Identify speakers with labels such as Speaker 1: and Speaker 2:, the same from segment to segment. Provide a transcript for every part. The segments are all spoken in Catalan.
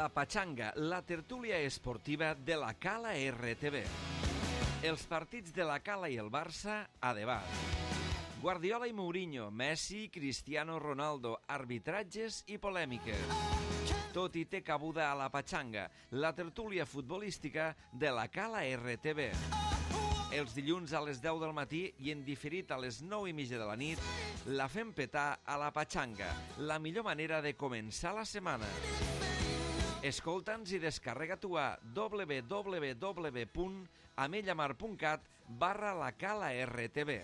Speaker 1: La Pachanga, la tertúlia esportiva de la Cala RTV. Els partits de la Cala i el Barça a debat. Guardiola i Mourinho, Messi, Cristiano Ronaldo, arbitratges i polèmiques. Tot hi té cabuda a La Pachanga, la tertúlia futbolística de la Cala RTV. Els dilluns a les 10 del matí i en diferit a les 9:30 de la nit, la fem petar a La Pachanga, la millor manera de començar la setmana. Escolta'ns i descarrega-t'ho a www.amellamar.cat/la Cala RTV.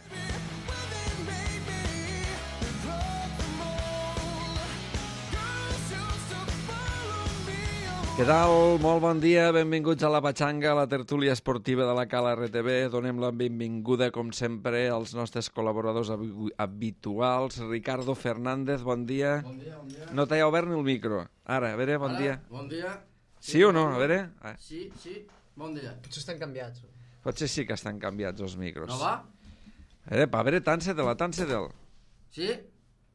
Speaker 1: Què tal? Molt bon dia, benvinguts a La Pachanga, la tertúlia esportiva de la Cala RTV. Donem la benvinguda, com sempre, als nostres col·laboradors habituals. Ricardo Fernández, bon dia.
Speaker 2: Bon dia, bon dia.
Speaker 1: No t'he obert ni el micro. Ara, a veure, bon dia.
Speaker 2: Bon dia.
Speaker 1: Sí o no? A veure.
Speaker 2: Sí, bon dia.
Speaker 3: Potser estan canviats.
Speaker 1: Potser sí que estan canviats els micros.
Speaker 2: ¿No va?
Speaker 1: A veure, tant-se-te'l.
Speaker 2: Sí?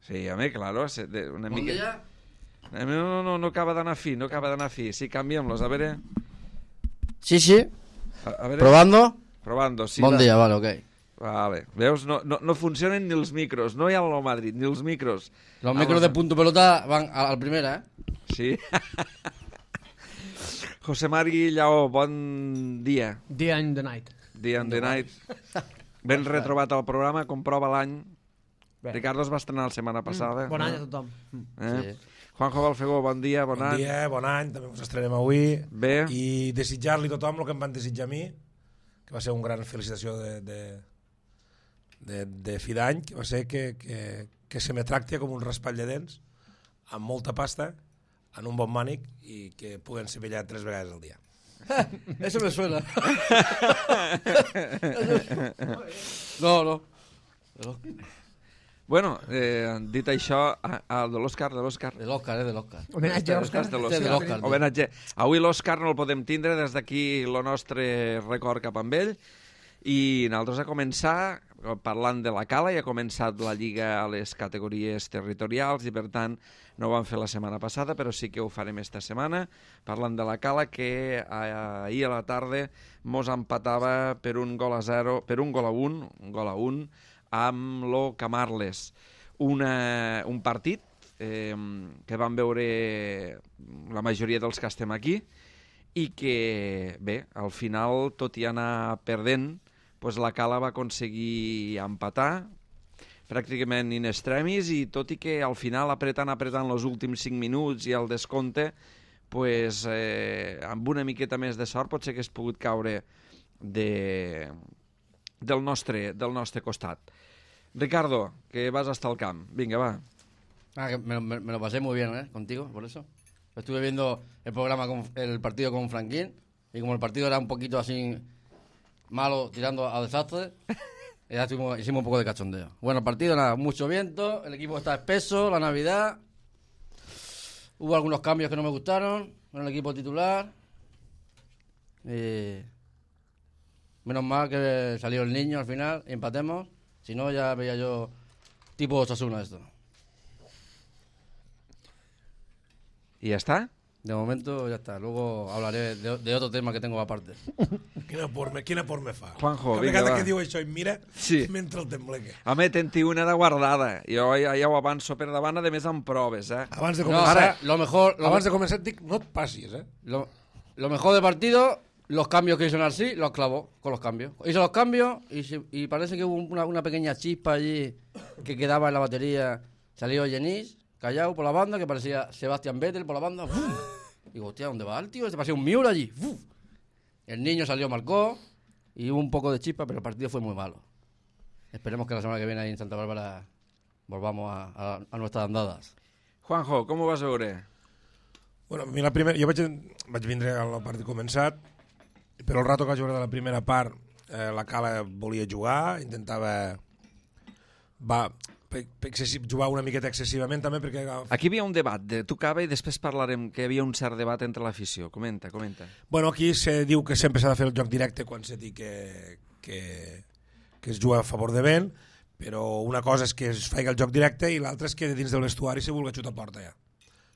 Speaker 1: Sí, home, claro. Una
Speaker 2: Bon
Speaker 1: mica...
Speaker 2: dia.
Speaker 1: No acaba d'anar fi, Sí, canviem-los, a veure.
Speaker 2: Sí.
Speaker 1: A veure. Probando, sí.
Speaker 2: Bon dia, vale, ok.
Speaker 1: Vale. Veus, no funcionen ni els micros, no hi ha el Madrid, ni els micros.
Speaker 2: Los micros de punto pelota van al primera, ¿eh?
Speaker 1: Sí. José Mari Lleó, bon dia.
Speaker 3: Day and the night.
Speaker 1: Day and the night. Ben retrobat al programa, comprova l'any.
Speaker 3: Bé.
Speaker 1: Ricardo es va estrenar la setmana passada.
Speaker 3: Bon any a tothom.
Speaker 1: Sí. Juanjo Balfegó, bon dia, bon any.
Speaker 4: Bon dia, bon any, també us estrenem avui.
Speaker 1: Bé.
Speaker 4: I desitjar-li a tothom el que em van desitjar a mi, que va ser una gran felicitació de fi d'any, que va ser que se me tracti com un raspall de dents, amb molta pasta, en un bon mànic, i que puguen ser vellat 3 vegades al dia.
Speaker 2: Eso me suena. No.
Speaker 1: Bueno, dit això, de l'Òscar.
Speaker 2: De l'Òscar.
Speaker 3: Homenatge a Òscar.
Speaker 1: Homenatge. Avui l'Òscar no el podem tindre, des d'aquí el nostre record cap amb ell. I nosaltres a començar, parlant de la Cala, ja ha començat la Lliga a les categories territorials i per tant no ho vam fer la setmana passada, però sí que ho farem esta setmana, parlant de la Cala, que ahir a la tarda mos empatava per un gol a 1, amb lo Camarles. Un partit que vam veure la majoria dels que estem aquí i que, bé, al final, tot i anar perdent, doncs la Cala va aconseguir empatar pràcticament in extremis, i tot i que al final apretant els últims 5 minuts i el descompte, doncs, amb una miqueta més de sort potser que hagués pogut caure del nostre costat. Ricardo, que vas hasta el camp. Venga, va.
Speaker 2: Me lo pasé muy bien, contigo, por eso. Estuve viendo el partido con Franquín, y como el partido era un poquito así malo, tirando a desastre, ya hicimos un poco de cachondeo. Bueno, el partido, nada, mucho viento, el equipo está espeso, la Navidad, hubo algunos cambios que no me gustaron en el equipo titular. Menos mal que salió el niño al final y empatemos. Si no, ya veía yo tipo Osasuna esto.
Speaker 1: ¿Y ya está?
Speaker 2: De momento ya está. Luego hablaré de otro tema que tengo aparte.
Speaker 4: Quina por me fa.
Speaker 1: Juanjo,
Speaker 4: Cada
Speaker 1: vinga,
Speaker 4: vegada
Speaker 1: va.
Speaker 4: que diu això em mira,
Speaker 1: Sí.
Speaker 4: mentre el tembleque.
Speaker 1: Home, ten-t'hi una de guardada. Jo ja ho avanço per davant, a més amb proves,
Speaker 4: Abans de
Speaker 2: No,
Speaker 4: començar,
Speaker 2: ahora, abans
Speaker 4: de començar dic, no et passis,
Speaker 2: Lo mejor del partido, los cambios que hizo Narcí, los clavó con los cambios. Hizo los cambios y parece que hubo una pequeña chispa allí que quedaba en la batería. Salió Genís, callado por la banda, que parecía Sebastián Vettel por la banda. ¡Bum! Digo, hostia, ¿dónde va el tío? Se parecía un Miura allí. ¡Bum! El niño salió, marcó y hubo un poco de chispa, pero el partido fue muy malo. Esperemos que la semana que viene ahí en Santa Bárbara volvamos a nuestras andadas.
Speaker 1: Juanjo, com ho vas veure?
Speaker 4: Bueno, a mi jo vaig vindre a la part de començat, però el rato que vaig veure de la primera part, la Cala volia jugar, intentava jugar una miqueta excessivament també, perquè...
Speaker 1: Aquí hi havia un debat de Tucava i després parlarem que hi havia un cert debat entre l'afició. Comenta.
Speaker 4: Bueno, aquí se diu que sempre s'ha de fer el joc directe quan se diu que es juga a favor de vent, però una cosa és que es faci el joc directe i l'altra és que dins del vestuari se vulgui xutar a porta ja.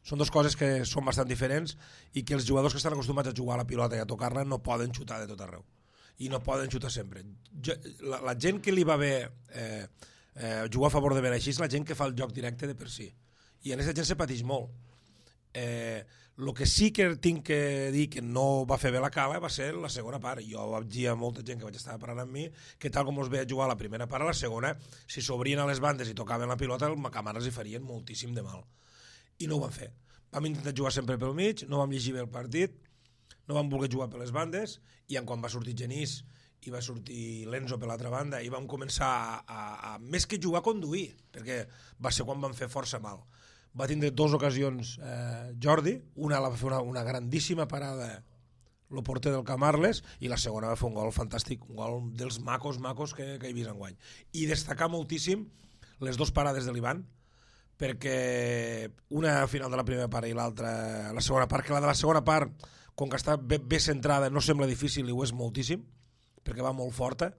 Speaker 4: Són dues coses que són bastant diferents i que els jugadors que estan acostumats a jugar a la pilota i a tocar-la no poden xutar de tot arreu. I no poden xutar sempre. La gent que li va bé jugar a favor de ben així és la gent que fa el joc directe de per si. I en aquesta gent se pateix molt. El que sí que tinc que dir que no va fer bé la Cala va ser la segona part. Jo vaig dir a molta gent que vaig estar parlant amb mi que tal com els veia jugar a la primera part, a la segona, si s'obrien a les bandes i tocaven la pilota, el Macamara els hi farien moltíssim de mal. I no ho van fer. Vam intentar jugar sempre pel mig, no vam llegir bé el partit, no vam voler jugar per les bandes, i quan va sortir Genís i va sortir l'Enzo per l'altra banda, i vam començar a més que jugar, a conduir, perquè va ser quan vam fer força mal. Va tindre 2 ocasions Jordi, una va fer una grandíssima parada el porter del Camarles, i la segona va fer un gol fantàstic, un gol dels macos que he vist enguany. I destacar moltíssim les 2 parades de l'Ivan, perquè una al final de la primera part i l'altra a la segona part, que la de la segona part, com que està bé centrada, no sembla difícil i ho és moltíssim, perquè va molt forta,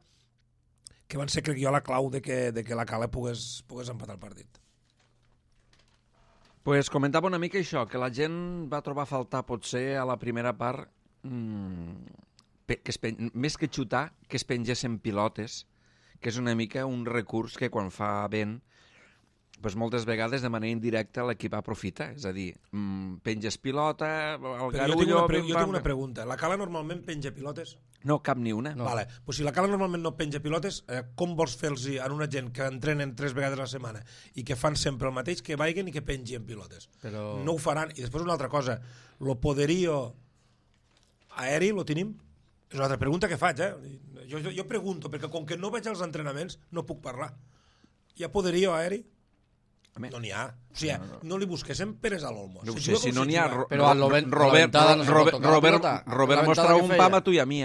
Speaker 4: que van ser, crec jo, la clau de que la Cala pogués empatar el partit.
Speaker 1: Pues comentava una mica això, que la gent va trobar a faltar potser a la primera part més que xutar, que es pengessin pilotes, que és una mica un recurs que quan fa vent pues moltes vegades de manera indirecta l'equip aprofita, és a dir, penges pilota, el Garullo...
Speaker 4: Jo tinc una pregunta. La Cala normalment penja pilotes?
Speaker 1: No, cap ni una.
Speaker 4: No. Vale. Pues si la Cala normalment no penja pilotes, com vols fer-los a una gent que entrenen 3 vegades a la setmana i que fan sempre el mateix, que vagin i que pengin pilotes?
Speaker 2: Però...
Speaker 4: No ho faran. I després una altra cosa, lo poderío aeri lo tenim? És una altra pregunta que faig, Jo pregunto, perquè com que no vaig als entrenaments no puc parlar. Hi ha poderío aeri? No n'hi ha. O sigui, no li busquéssim peres a l'Olmo.
Speaker 1: No sé, si no n'hi ha...
Speaker 2: Però
Speaker 1: Robert mostra un pam a tu i a mi,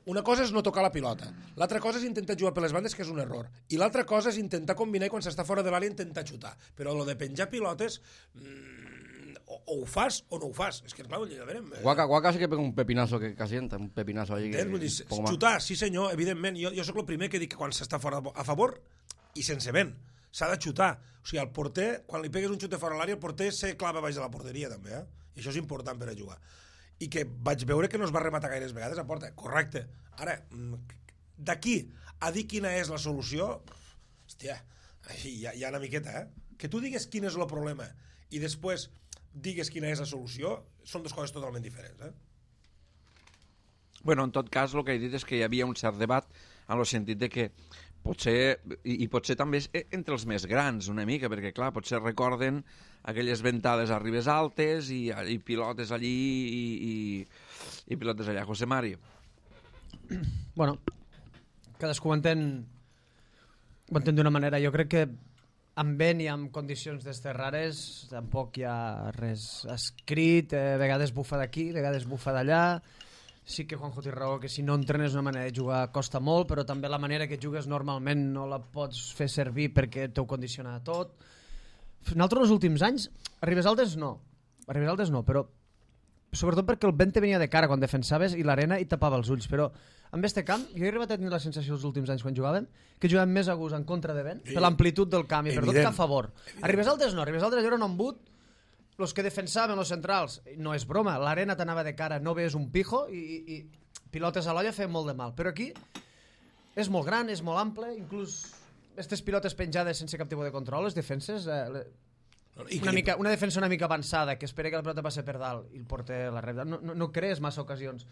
Speaker 4: Una cosa és no tocar la pilota. L'altra cosa és intentar jugar per les bandes, que és un error. I l'altra cosa és intentar combinar i quan s'està fora de l'àrea intentar xutar. Però lo de penjar pilotes... o ho fas o no ho fas. És que, clar, ja verem.
Speaker 2: Guaca sí que pega un pepinazo que casienta, un pepinazo allí.
Speaker 4: Xutar, sí senyor, evidentment. Jo sóc el primer que dic que quan s'està fora a favor i sense vent s'ha de xutar. O sigui, el porter, quan li pegues un xut de fora a l'àrea, el porter se clava baix de la porteria, també, I això és important per a jugar. I que vaig veure que no es va rematar gaires vegades a porta. Correcte. Ara, d'aquí a dir quina és la solució, hòstia, hi ha una miqueta, Que tu digues quin és el problema i després digues quina és la solució, són 2 coses totalment diferents,
Speaker 1: Bueno, en tot cas, el que he dit és que hi havia un cert debat en el sentit de que potser, i potser també entre els més grans una mica, perquè clar, potser recorden aquelles ventades a Ribes Altes i pilotes allí i pilotes allà. José Mari.
Speaker 3: Bueno, cadascú ho entén d'una manera. Jo crec que amb vent i amb condicions d'estes rares tampoc hi ha res escrit, vegades bufa d'aquí, vegades bufa d'allà. Sí que Juanjo té raó, que si no entrenes una manera de jugar costa molt, però també la manera que jugues normalment no la pots fer servir perquè t'ho condiciona tot. Nosaltres els últims anys, a Ribes Altes no, però sobretot perquè el vent te venia de cara quan defensaves i l'arena hi tapava els ulls, però amb este camp jo he arribat a tenir la sensació els últims anys quan jugàvem que jugàvem més a gust en contra de vent per l'amplitud del camp i per tot que a favor. A Ribes Altes no, a Ribes Altes era un embut. Els que defensaven, els centrals, no és broma, l'arena t'anava de cara, no veies un pijo i pilotes a l'olla feien molt de mal. Però aquí és molt gran, és molt ample, inclús aquestes pilotes penjades sense cap tipus de control, les defenses, una defensa una mica avançada, que espera que la pilota passi per dalt i el porter la rep. No crees massa ocasions.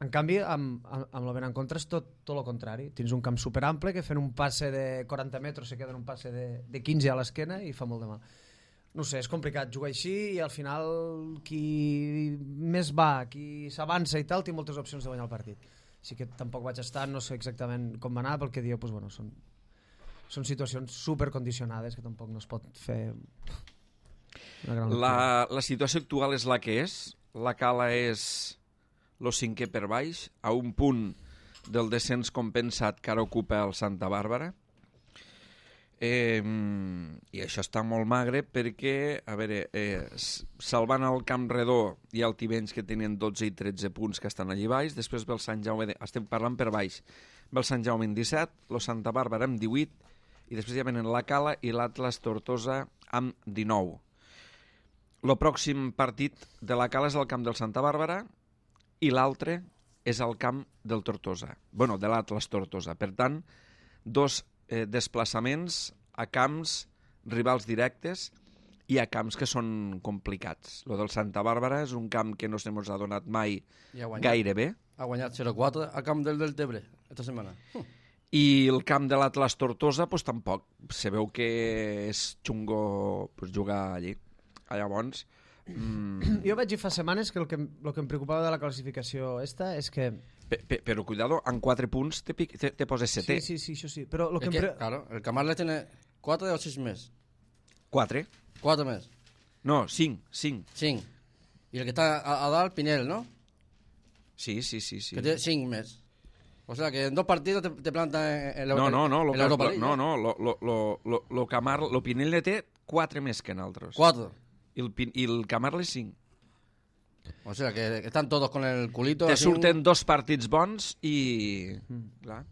Speaker 3: En canvi, amb el vent en contra és tot el contrari. Tens un camp superample que fent un passe de 40 metres se queda en un passe de 15 a l'esquena i fa molt de mal. No sé, és complicat jugar així i al final qui més va, qui s'avança i tal, té moltes opcions de guanyar el partit. Així que tampoc vaig estar, no sé exactament com va anar, pel que diu, doncs, bueno, són situacions supercondicionades que tampoc no es pot fer una gran
Speaker 1: lectura. La situació actual és la que és. La Cala és el 5è per baix, a un punt del descens compensat que ara ocupa el Santa Bàrbara. I això està molt magre perquè, a veure, salvant el Camp Redó i el Tivenys, que tenien 12 i 13 punts que estan allí baix, després ve el Sant Jaume, estem parlant per baix, ve el Sant Jaume amb 17, el Santa Bàrbara amb 18 i després ja venen la Cala i l'Atlas Tortosa amb 19. el pròxim partit de la Cala és al camp del Santa Bàrbara i l'altre és al camp del Tortosa. Bueno, de l'Atlas Tortosa. Per tant, 2 desplaçaments a camps rivals directes i a camps que són complicats. Lo del Santa Bàrbara és un camp que no se mos ha donat mai gaire bé.
Speaker 2: Ha guanyat 0-4 al camp del Deltebre esta setmana.
Speaker 1: I el camp de l'Atlas Tortosa pues, tampoc. Se veu que és xungo pues, jugar allí. Llavors...
Speaker 3: Jo vaig dir fa setmanes que el que em preocupava de la classificació esta és que...
Speaker 1: Però cuidado, en 4 punts te poses setè.
Speaker 3: Sí, això sí. Però lo que
Speaker 2: claro, el Camarles tiene 4 o 6 més.
Speaker 1: 4?
Speaker 2: 4 més.
Speaker 1: No, 5.
Speaker 2: 5. I el que està a dalt, Pinel, ¿no?
Speaker 1: Sí.
Speaker 2: Que té 5 més. O sea, que en 2 partidos te plantan en l'Europa League.
Speaker 1: No, lo Pinel té 4 més que nosaltres.
Speaker 2: 4.
Speaker 1: I el Camarles 5.
Speaker 2: O sea, que están todos con el culito.
Speaker 1: Te surten 2 partits bons i... Clar.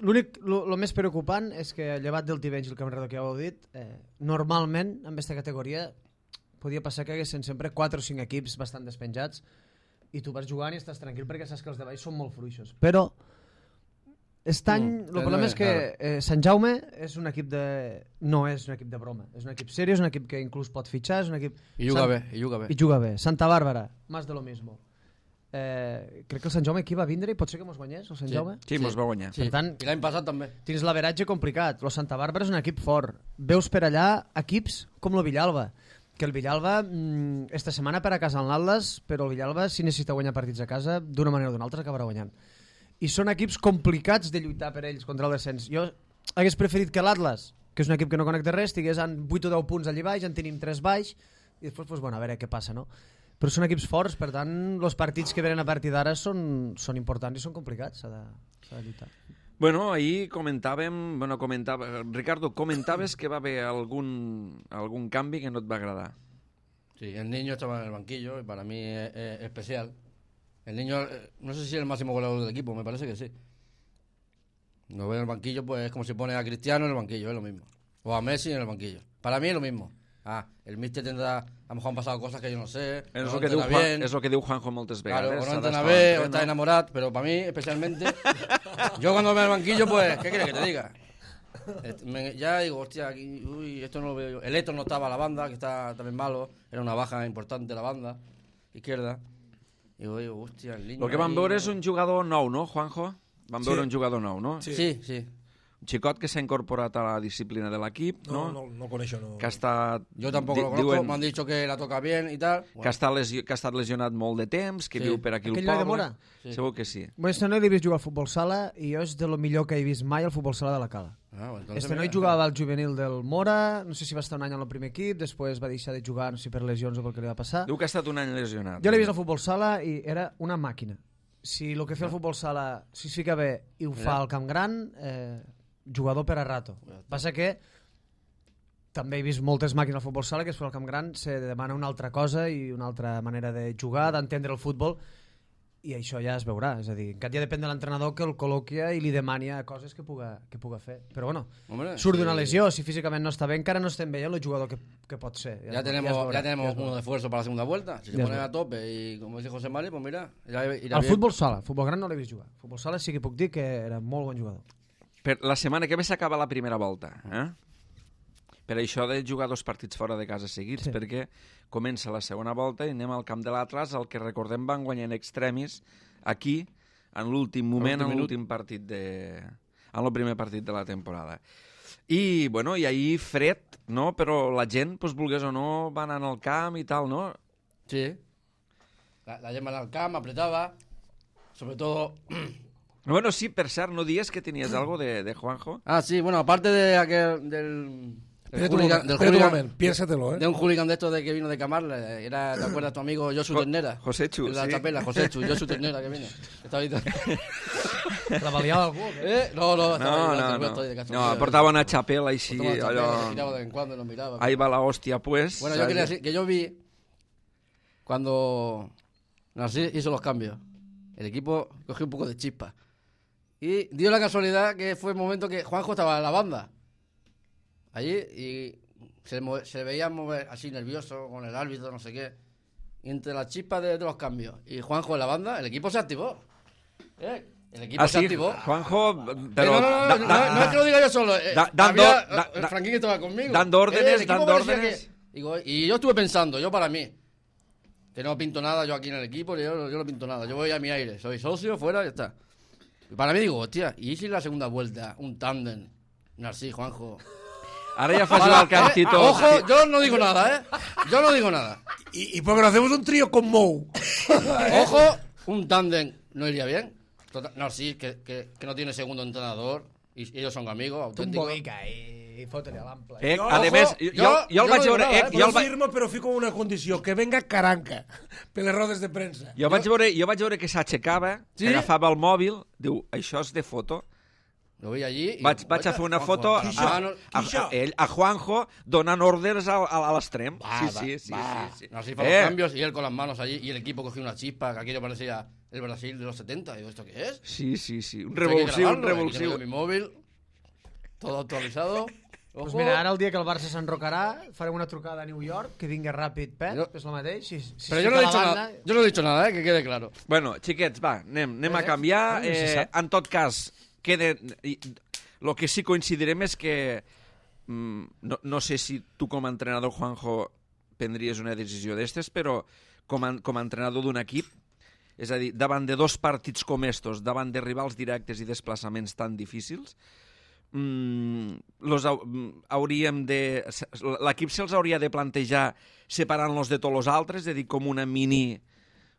Speaker 3: L'únic, el més preocupant és que, llevat del Tivenys i el Camarredor que ja ho heu dit, normalment, en aquesta categoria, podia passar que haguessin sempre 4 o 5 equips bastant despenjats i tu vas jugant i estàs tranquil perquè saps que els de baix són molt fluixos. Però, aquest any, el problema és que Sant Jaume és un equip no és un equip de broma. És un equip seriós, és un equip que inclús pot fitxar, és un equip...
Speaker 2: I juga bé.
Speaker 3: Santa Bàrbara, más de lo mismo. Crec que el Sant Jaume aquí va vindre i pot ser que mos guanyés, el Sant Jaume?
Speaker 1: Sí, mos va guanyar.
Speaker 2: Sí.
Speaker 3: Per tant,
Speaker 2: i l'any passat també.
Speaker 3: Tens l'averatge complicat. El Santa Bàrbara és un equip fort. Veus per allà equips com el Villalba, que el Villalba esta setmana per a casa en l'Atlas, però el Villalba si necessita guanyar partits a casa d'una manera o d'una altra acabarà guanyant. I són equips complicats de lluitar per ells contra el descens. Jo hagués preferit que l'Atlas, que és un equip que no connecta res, estigués en 8 o 10 punts allà baix, en tenim 3 baix, i després, pues, bueno, a veure què passa, no? Però són equips forts, per tant, els partits que venen a partir d'ara són importants i són complicats, s'ha de lluitar.
Speaker 1: Bueno, ahir Ricardo, comentaves que va haver algún canvi que no et va agradar.
Speaker 2: Sí, el niño estaba en el banquillo y para mí es especial. El niño, no sé si es el máximo goleador del equipo, me parece que sí. Lo veo en el banquillo, pues es como si pone a Cristiano en el banquillo, es lo mismo. O a Messi en el banquillo. Para mí es lo mismo. El míster tendrá, a lo mejor han pasado cosas que yo no sé.
Speaker 1: És el que diu Juanjo moltes vegades.
Speaker 2: Claro, o no entrena bé, o está enamorado, pero para mí, especialmente, yo cuando veo el banquillo, pues, ¿qué quieres que te diga? Ya digo, hostia, aquí, uy, esto no lo veo yo. El Héctor no estaba a la banda, que está también malo, era una baja importante la banda izquierda. I digo, hòstia, el niño...
Speaker 1: El que vam veure és un jugador nou, no, Juanjo? Vam veure un jugador nou, no?
Speaker 2: Sí.
Speaker 1: Un xicot que s'ha incorporat a la disciplina de l'equip, no?
Speaker 4: No coneixo, no.
Speaker 1: Que ha estat...
Speaker 2: Yo tampoco lo conozco, me han dicho que la toca bien y tal.
Speaker 1: Bueno. Que ha estat lesionat molt de temps, que viu per aquí al poble.
Speaker 3: Aquell de Mora?
Speaker 1: Sí. Segur que sí.
Speaker 3: Bueno, este noi l'he vist jugar al futbol sala i jo és de lo millor que he vist mai al futbol sala de la Cala. Este noi jugava al juvenil del Mora, no sé si va estar un any al primer equip, després va deixar de jugar, no sé si per lesions o pel que li va passar.
Speaker 1: Diu que ha estat un any lesionat.
Speaker 3: Jo l'he vist al futbol sala i era una màquina. Si el que fa el futbol sala, si es fica bé i ho fa al Camp Gran, jugador per a rato. Passa que també he vist moltes màquines al futbol sala que es fa al Camp Gran se demana una altra cosa i una altra manera de jugar, d'entendre el futbol, i això ja es veurà. És a dir, encara ja depèn de l'entrenador que el col·loquia i li demania coses que puga fer. Però bueno, surt d'una lesió, si físicament no està bé, encara no estem veient el jugador que pot ser.
Speaker 2: Ya tenemos uno de esfuerzo para la segunda vuelta. Si se ponen a tope y como dice José Mari, pues mira, irà
Speaker 3: al futbol sala, futbol gran no l'he vist jugar. Futbol sala sí que puc dir que era molt bon jugador.
Speaker 1: Per la setmana que ve s'acaba la primera volta, Per això de jugar 2 partits fora de casa seguits, perquè comença la segona volta i anem al camp de l'Atlas, el que recordem van guanyar en extremis aquí, en l'últim moment, en l'últim partit en el primer partit de la temporada. I, bueno, i ahir fred, no? Però la gent, pues, volgués o no, va anar al camp i tal, no?
Speaker 2: Sí. La gent va anar al camp, apretava, sobre todo...
Speaker 1: Bueno, sí, per cert, ¿no dies que tenías algo de Juanjo?
Speaker 2: Ah, sí, bueno, aparte de aquel, del
Speaker 4: hooligan, piénsatelo,
Speaker 2: de un hooligan de estos que vino de Camarles, era, ¿te acuerdas tu amigo Josu Ternera?
Speaker 1: Josechu,
Speaker 2: sí. La chapela, Josechu, Josu Ternera que vino.
Speaker 3: Treballava algú?
Speaker 1: No, portaba una chapela y sí,
Speaker 2: miraba de vez en cuando y nos miraba.
Speaker 1: Ahí va la hostia, pues.
Speaker 2: Bueno, yo quería decir que yo vi cuando Narcís hizo los cambios, el equipo cogió un poco de chispa. Y dio la casualidad que fue el momento que Juanjo estaba en la banda allí y se le veía mover así nervioso con el árbitro, no sé qué. Y entre la chispa de los cambios y Juanjo en la banda, el equipo se activó. El equipo se activó.
Speaker 1: Juanjo, pero...
Speaker 2: No es que lo diga yo solo. Franquín estaba conmigo.
Speaker 1: Dando órdenes.
Speaker 2: Y yo estuve pensando, yo para mí, que no pinto nada yo aquí en el equipo, yo no pinto nada. Yo voy a mi aire, soy socio, fuera, ya está. Y para mí digo, hostia, ¿y si la segunda vuelta, un tándem, Narcís, Juanjo?
Speaker 1: Ahora ya fácil al cantito.
Speaker 2: Ojo, yo no digo nada, Yo no digo nada.
Speaker 4: Y porque no hacemos un trío con Mou.
Speaker 2: Ojo, un tándem no iría bien. Narcís, que no tiene segundo entrenador, y ellos son amigos, auténticos.
Speaker 3: Un boica i fotre-li a l'ample.
Speaker 1: A més, jo el vaig veure...
Speaker 4: Jo firmo, però fico una condició, que venga Caranca per les rodes de premsa.
Speaker 1: Jo vaig veure que s'aixecava, agafava el mòbil, diu, això és de foto.
Speaker 2: Lo veia allí...
Speaker 1: Vaig a fer una foto a Juanjo donant ordres a l'extrem. Sí.
Speaker 2: Así para los cambios y él con las manos allí y el equipo cogió una chispa que aquello parecía el Brasil de los 70. Digo, ¿esto qué es?
Speaker 1: Sí. Un revulsiu.
Speaker 2: Mi móvil, todo actualizado.
Speaker 3: Pues mira, ara el dia que el Barça s'enrocarà farem una trucada a New York, que vingui ràpid, Pep, és el mateix.
Speaker 2: Però jo no he dicho nada, que quede claro.
Speaker 1: Bueno, xiquets, va, anem a canviar. En tot cas, lo que sí coincidirem és que no sé si tu com a entrenador, Juanjo, prendries una decisió d'estes, però com a entrenador d'un equip, és a dir, davant de dos partits com estos, davant de rivals directes i desplaçaments tan difícils, l'equip se'ls hauria de plantejar separant-los de tots els altres, és a dir, com una mini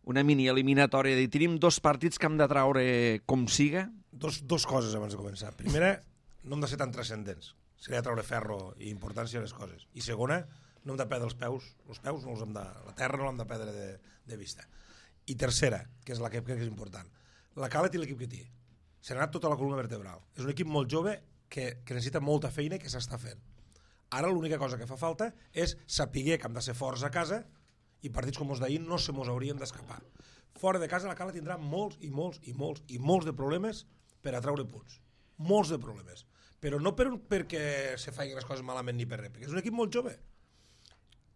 Speaker 1: eliminatòria, de dir, tenim dos partits que hem de traure com siga.
Speaker 4: Dos coses abans de començar. Primera, no hem de ser tan transcendents. Seria treure ferro i importància a les coses. I segona, no hem de perdre els peus no els hem de, la terra no l'hem de perdre de vista. I tercera, que és la que crec que és important, la Cala té l'equip que té. Se n'ha anat tota la columna vertebral. És un equip molt jove que necessita molta feina i que s'està fent. Ara l'única cosa que fa falta és saber que hem de ser forts a casa i partits com els d'ahir no se mos hauríem d'escapar. Fora de casa la Cala tindrà molts de problemes per a treure punts. Molts de problemes. Però no perquè se facin les coses malament ni per res, perquè és un equip molt jove.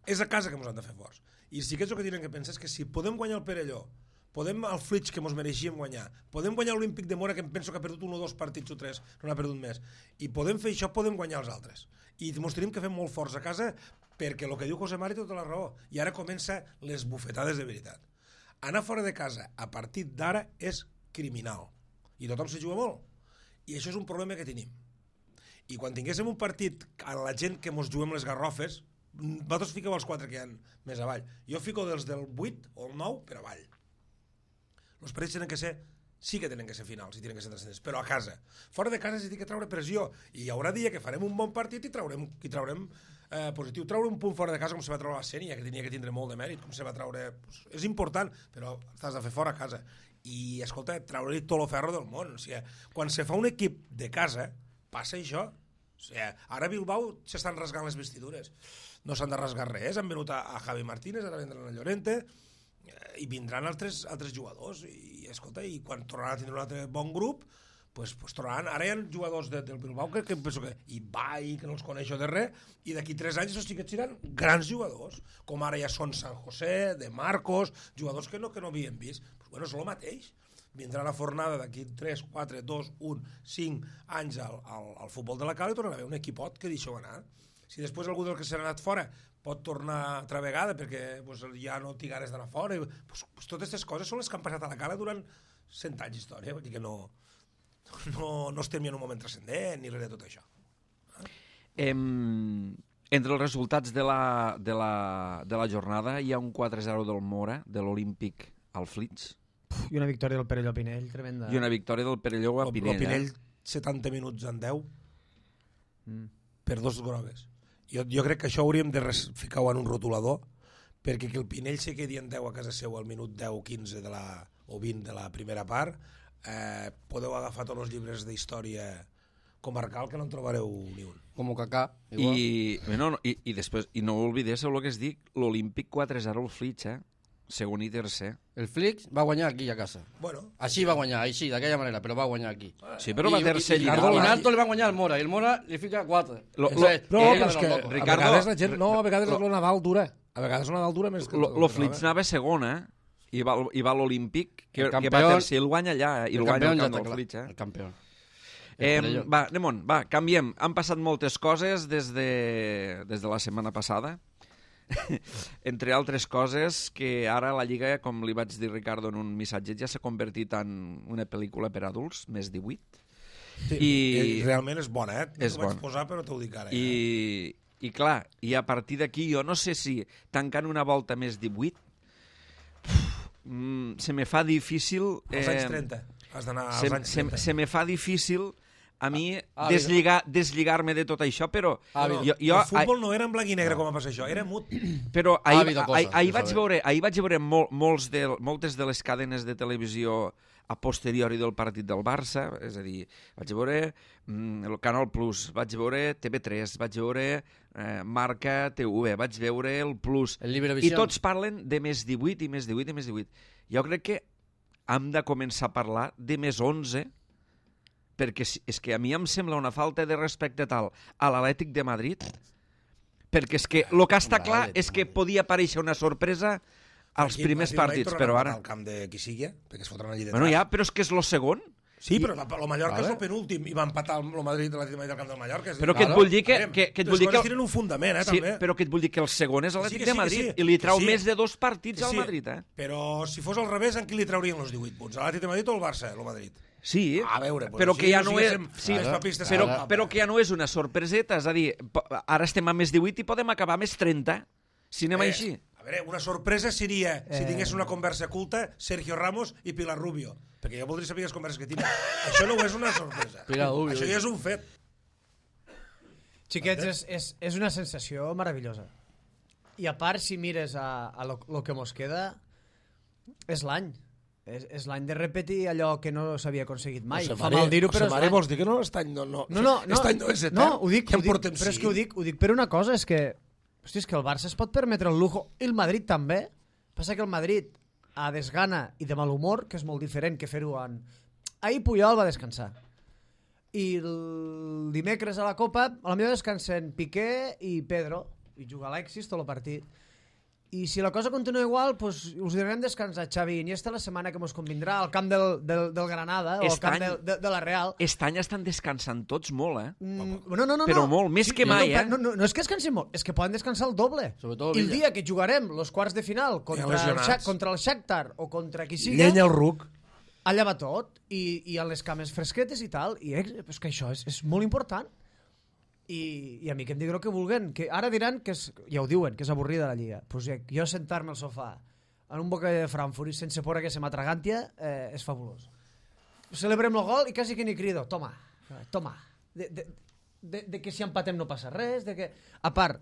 Speaker 4: És a casa que ens han de fer forts. I sí que és el que tenen que pensar és que si podem guanyar el Perelló, podem al Flix, que ens mereixíem guanyar, podem guanyar l'Olímpic de Mora, que em penso que ha perdut 1 o 2 partits o 3, no n'ha perdut més, i podem fer això, podem guanyar els altres. I ens tenim que fer molt forts a casa, perquè el que diu José Mari té tota la raó, i ara comença les bufetades de veritat. Anar fora de casa a partir d'ara és criminal, i tothom se juga molt, i això és un problema que tenim. I quan tinguéssim un partit a la gent que ens juguem les garrofes, vosaltres fiqueu els 4 que hi ha més avall, jo fico dels del 8 o el 9 per avall. Els partits sí que tenen que ser finals i tenen que ser transcendents, però a casa. Fora de casa s'ha de treure pressió i hi haurà dia que farem un bon partit i traurem positiu. Treure un punt fora de casa com se va treure la Sènia, que tenia que tindre molt de mèrit, com se va treure... És important, però t'has de fer fora a casa. I, escolta, treure-li tot el ferro del món. O sigui, quan se fa un equip de casa, passa això. O sigui, ara a Bilbao s'estan rasgant les vestidures. No s'han de rasgar res. Han venut a Javi Martínez, ara vendran a Llorente, i vindran altres jugadors i escolta, i quan tornaran a tindre un altre bon grup pues tornaran, ara hi ha jugadors del Bilbao que penso que i Bai, que no els coneixo de res, i d'aquí 3 anys els xiquets seran grans jugadors, com ara ja són San José, de Marcos, jugadors que no havien vist. Pues bueno, és el mateix. Vindrà la fornada d'aquí 3, 4, 2, 1, 5 anys al futbol de la Cala i tornarà a haver un equipot que deixeu anar. Si després algú del que s'ha anat fora pot tornar altra vegada perquè ja no té ganes d'anar fora, totes aquestes coses són les que han passat a la Cala durant 100 anys d'història, vull dir que no estem ni en un moment transcendent ni res de tot això.
Speaker 1: Entre els resultats de la jornada hi ha un 4-0 del Mora, de l'Olímpic al Flix.
Speaker 3: I una victòria del Perelló a Pinell, tremenda.
Speaker 1: I una victòria del Perelló a Pinell.
Speaker 4: El Pinell 70 minuts en 10 per 2 grogues. Jo crec que això hauríem de ficar-ho en un rotulador, perquè que el Pinell se quedi en 10 a casa seu al minut 10-15 o 20 de la primera part, podeu agafar tots els llibres d'història comarcal que no en trobareu ni un.
Speaker 2: Com Kaká, igual.
Speaker 1: I després, i no oblidéssiu el que es dic, l'Olímpic 4-0 al Flix, segon i tercer.
Speaker 2: El Flix va guanyar aquí a casa.
Speaker 4: Bueno,
Speaker 2: Així va guanyar, així, d'aquella manera, però va guanyar aquí.
Speaker 1: Sí, però va tercer
Speaker 2: I
Speaker 1: lligat.
Speaker 2: Alto li van guanyar al Mora, i el Mora li fica 4.
Speaker 4: no, però és que
Speaker 1: Ricardo,
Speaker 4: a vegades la gent... No, a vegades el Nadal dura. A vegades el Nadal dura més que...
Speaker 1: Lo Flix anava segon, i va a l'Olímpic, que va tercer, el guanya allà, i el guanya al camp del Flix.
Speaker 2: El campió.
Speaker 1: Va, anem va, canviem. Han passat moltes coses des de la setmana passada. Entre altres coses, que ara la Lliga, com li vaig dir Ricardo en un missatge, ja s'ha convertit en una pel·lícula per adults, més 18.
Speaker 4: Sí, i realment és bona,
Speaker 1: És
Speaker 4: bona.
Speaker 1: bona.
Speaker 4: Posar, però t'ho dic ara.
Speaker 1: I clar, i a partir d'aquí, jo no sé si tancant una volta més 18, se me fa difícil...
Speaker 4: Als anys 30. Has d'anar als anys 30.
Speaker 1: Se me fa difícil a mi deslligar-me de tot això, però...
Speaker 4: El futbol no era en blanc i negre com va passar això, era mut.
Speaker 1: Però ahir vaig veure moltes de les cadenes de televisió a posteriori del partit del Barça, és a dir, vaig veure el Canal Plus, vaig veure TV3, vaig veure Marca TV, vaig veure el Plus, i tots parlen de més 18 i més 18 i més 18. Jo crec que hem de començar a parlar de més 11, perquè és que a mi em sembla una falta de respecte tal a l'Atlètic de Madrid, perquè és que el que està clar és que podia aparèixer una sorpresa als primers partits, però ara...
Speaker 4: Al camp de qui sigui, perquè es fotran allí detrás.
Speaker 1: Bueno, ja, però és que és el segon.
Speaker 4: Sí, però el Mallorca és el penúltim i va empatar el Madrid de l'Atlètic al camp del Mallorca.
Speaker 1: Però que et vull dir que...
Speaker 4: Les coses tenen un fundament,
Speaker 1: sí,
Speaker 4: també.
Speaker 1: però que et vull dir que el segon és l'Atlètic de Madrid i li trau més de 2 partits al Madrid,
Speaker 4: Però si fos al revés, en qui li traurien els 18 punts? A l'Atlètic de Madrid o al Barça, el Madrid?
Speaker 1: Sí,
Speaker 4: a veure,
Speaker 1: però que ja no és... Però que ja no és una sorpreseta, és a dir, ara estem a més 18 i podem acabar a més 30, si anem així.
Speaker 4: A veure, una sorpresa seria, si tingués una conversa culta, Sergio Ramos i Pilar Rubio, perquè jo voldria saber les converses que tinc. Això no és una sorpresa. Això ja és un fet.
Speaker 3: Xiquets, és una sensació meravellosa. I a part, si mires a lo que mos queda, és l'any. És l'any de repetir allò que no s'havia aconseguit mai. Fa mal dir-ho, però és l'any.
Speaker 4: Vols dir que no? Aquest any no és etern.
Speaker 3: No, ho dic, però és que ho dic per una cosa, és que hosti, és que el Barça es pot permetre el lujo, i el Madrid també. Passa que el Madrid, a desgana i de mal humor, que és molt diferent que fer-ho en... Ahir Puyol va descansar. I el dimecres a la Copa, a la millor descansen Piqué i Pedro, i juga Alexis tot el partit. I si la cosa continua igual, pues, us direm descansar Xavi i Iniesta la setmana que mos convindrà al camp del Granada o al camp de la Real.
Speaker 1: Aquest any estan descansant tots molt,
Speaker 3: No.
Speaker 1: Però molt, més que mai,
Speaker 3: No és que descansin molt, és que poden descansar el doble. I el dia que jugarem els quarts de final contra el Shakhtar o contra qui sigui...
Speaker 4: Llenya el ruc.
Speaker 3: Allà va tot, i a les cames fresquetes i tal, i és que això és molt important. I a mi que em diguin el que vulguen, que ara diran que ja ho diuen, que és avorrida la Lliga. Pues jo sentar-me al sofà en un bocadillo de Frankfurt i sense por que se m'atragantia és fabulós. Celebrem el gol i quasi que ni crido, toma. De que si empatem no passa res, de que... A part,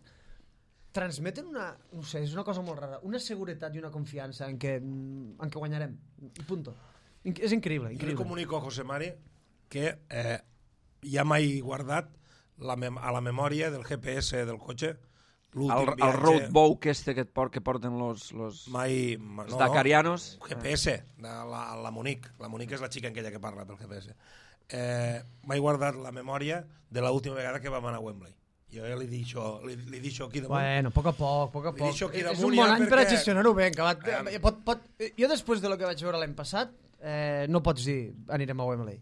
Speaker 3: transmeten una... No sé, és una cosa molt rara, una seguretat i una confiança en que guanyarem. I punto. És increïble.
Speaker 4: Jo li comunico a José Mari que ja m'he guardat a la memòria del GPS del cotxe l'últim viatge...
Speaker 1: El roadbook que porten los dakarianos.
Speaker 4: GPS, la Monique. La Monique és la xica aquella que parla pel GPS. M'he guardat la memòria de l'última vegada que vam anar a Wembley. Jo ja li dic això aquí damunt.
Speaker 3: Bueno, a poc a poc. És un bon any per a gestionar-ho bé. Jo després de lo que vaig veure l'any passat no pots dir anirem a Wembley.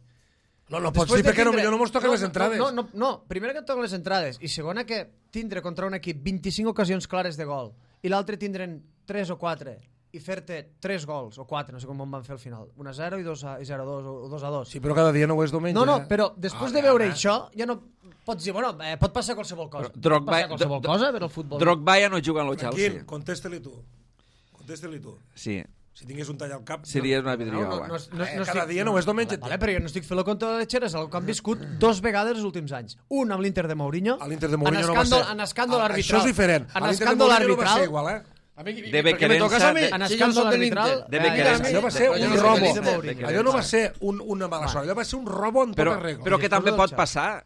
Speaker 4: No pots dir perquè potser no mos toquen les entrades.
Speaker 3: No, primera que et toquen les entrades i segona que tindre contra un equip 25 ocasions clares de gol i l'altre tindre'n 3 o 4 i fer-te 3 gols o 4, no sé com van fer al final, 1-0 i 0-2 o 2-2.
Speaker 4: Sí, però cada dia no ho és diumenge.
Speaker 3: No, però després de veure això ja no pots dir, bueno, pot passar qualsevol cosa. Pot passar qualsevol cosa per al futbol.
Speaker 1: Drogba ja no juga en el Chelsea.
Speaker 4: Quim, contesta-li tu.
Speaker 1: Sí.
Speaker 4: Si tingués un tall al cap...
Speaker 1: Seria una vidriola.
Speaker 4: Cada dia no és diumenge.
Speaker 3: Vale, però jo no estic fent-lo contra les xeres, el que han viscut 2 vegades els últims anys. Un amb l'Inter de Mourinho.
Speaker 4: A l'Inter de Mourinho no va ser.
Speaker 3: En escàndol arbitral.
Speaker 4: Això és diferent.
Speaker 3: En escàndol arbitral.
Speaker 1: De Becquerença.
Speaker 3: En escàndol arbitral.
Speaker 4: Allò va ser un robo. Allò no va ser una mala sort. Allò va ser un robo en tota regla.
Speaker 1: Però que també pot passar.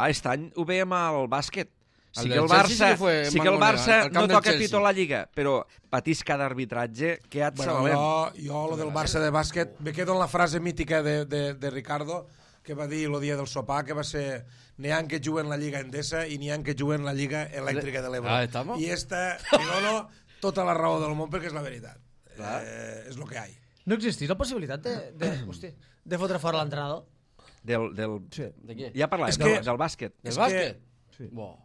Speaker 1: Aquest any ho veiem al bàsquet. Sí
Speaker 2: del
Speaker 1: que el
Speaker 2: Chelsea
Speaker 1: Barça,
Speaker 2: sí que fue
Speaker 1: sí que el
Speaker 2: Mangonera,
Speaker 1: Barça
Speaker 2: al camp
Speaker 1: no
Speaker 2: del
Speaker 1: toca
Speaker 2: Chelsea.
Speaker 1: pito a la Lliga, però patís cada arbitratge que et
Speaker 4: Bueno,
Speaker 1: salvem.
Speaker 4: jo lo del Barça de bàsquet, me quedo en la frase mítica de Ricardo, que va dir el dia del sopar, que va ser n'hi ha que juguen la Lliga Endesa i n'hi ha que juguen la Lliga Elèctrica de l'Ebre.
Speaker 2: estamos.
Speaker 4: I esta, li dono tota la raó del món perquè és la veritat. És lo que hay.
Speaker 3: No existís la possibilitat de fotre fora l'entrenador?
Speaker 1: Sí.
Speaker 2: De què?
Speaker 1: Ja parlàvem
Speaker 4: És que-
Speaker 1: del bàsquet.
Speaker 2: Del
Speaker 4: És
Speaker 2: bàsquet?
Speaker 3: Sí.
Speaker 2: Bo.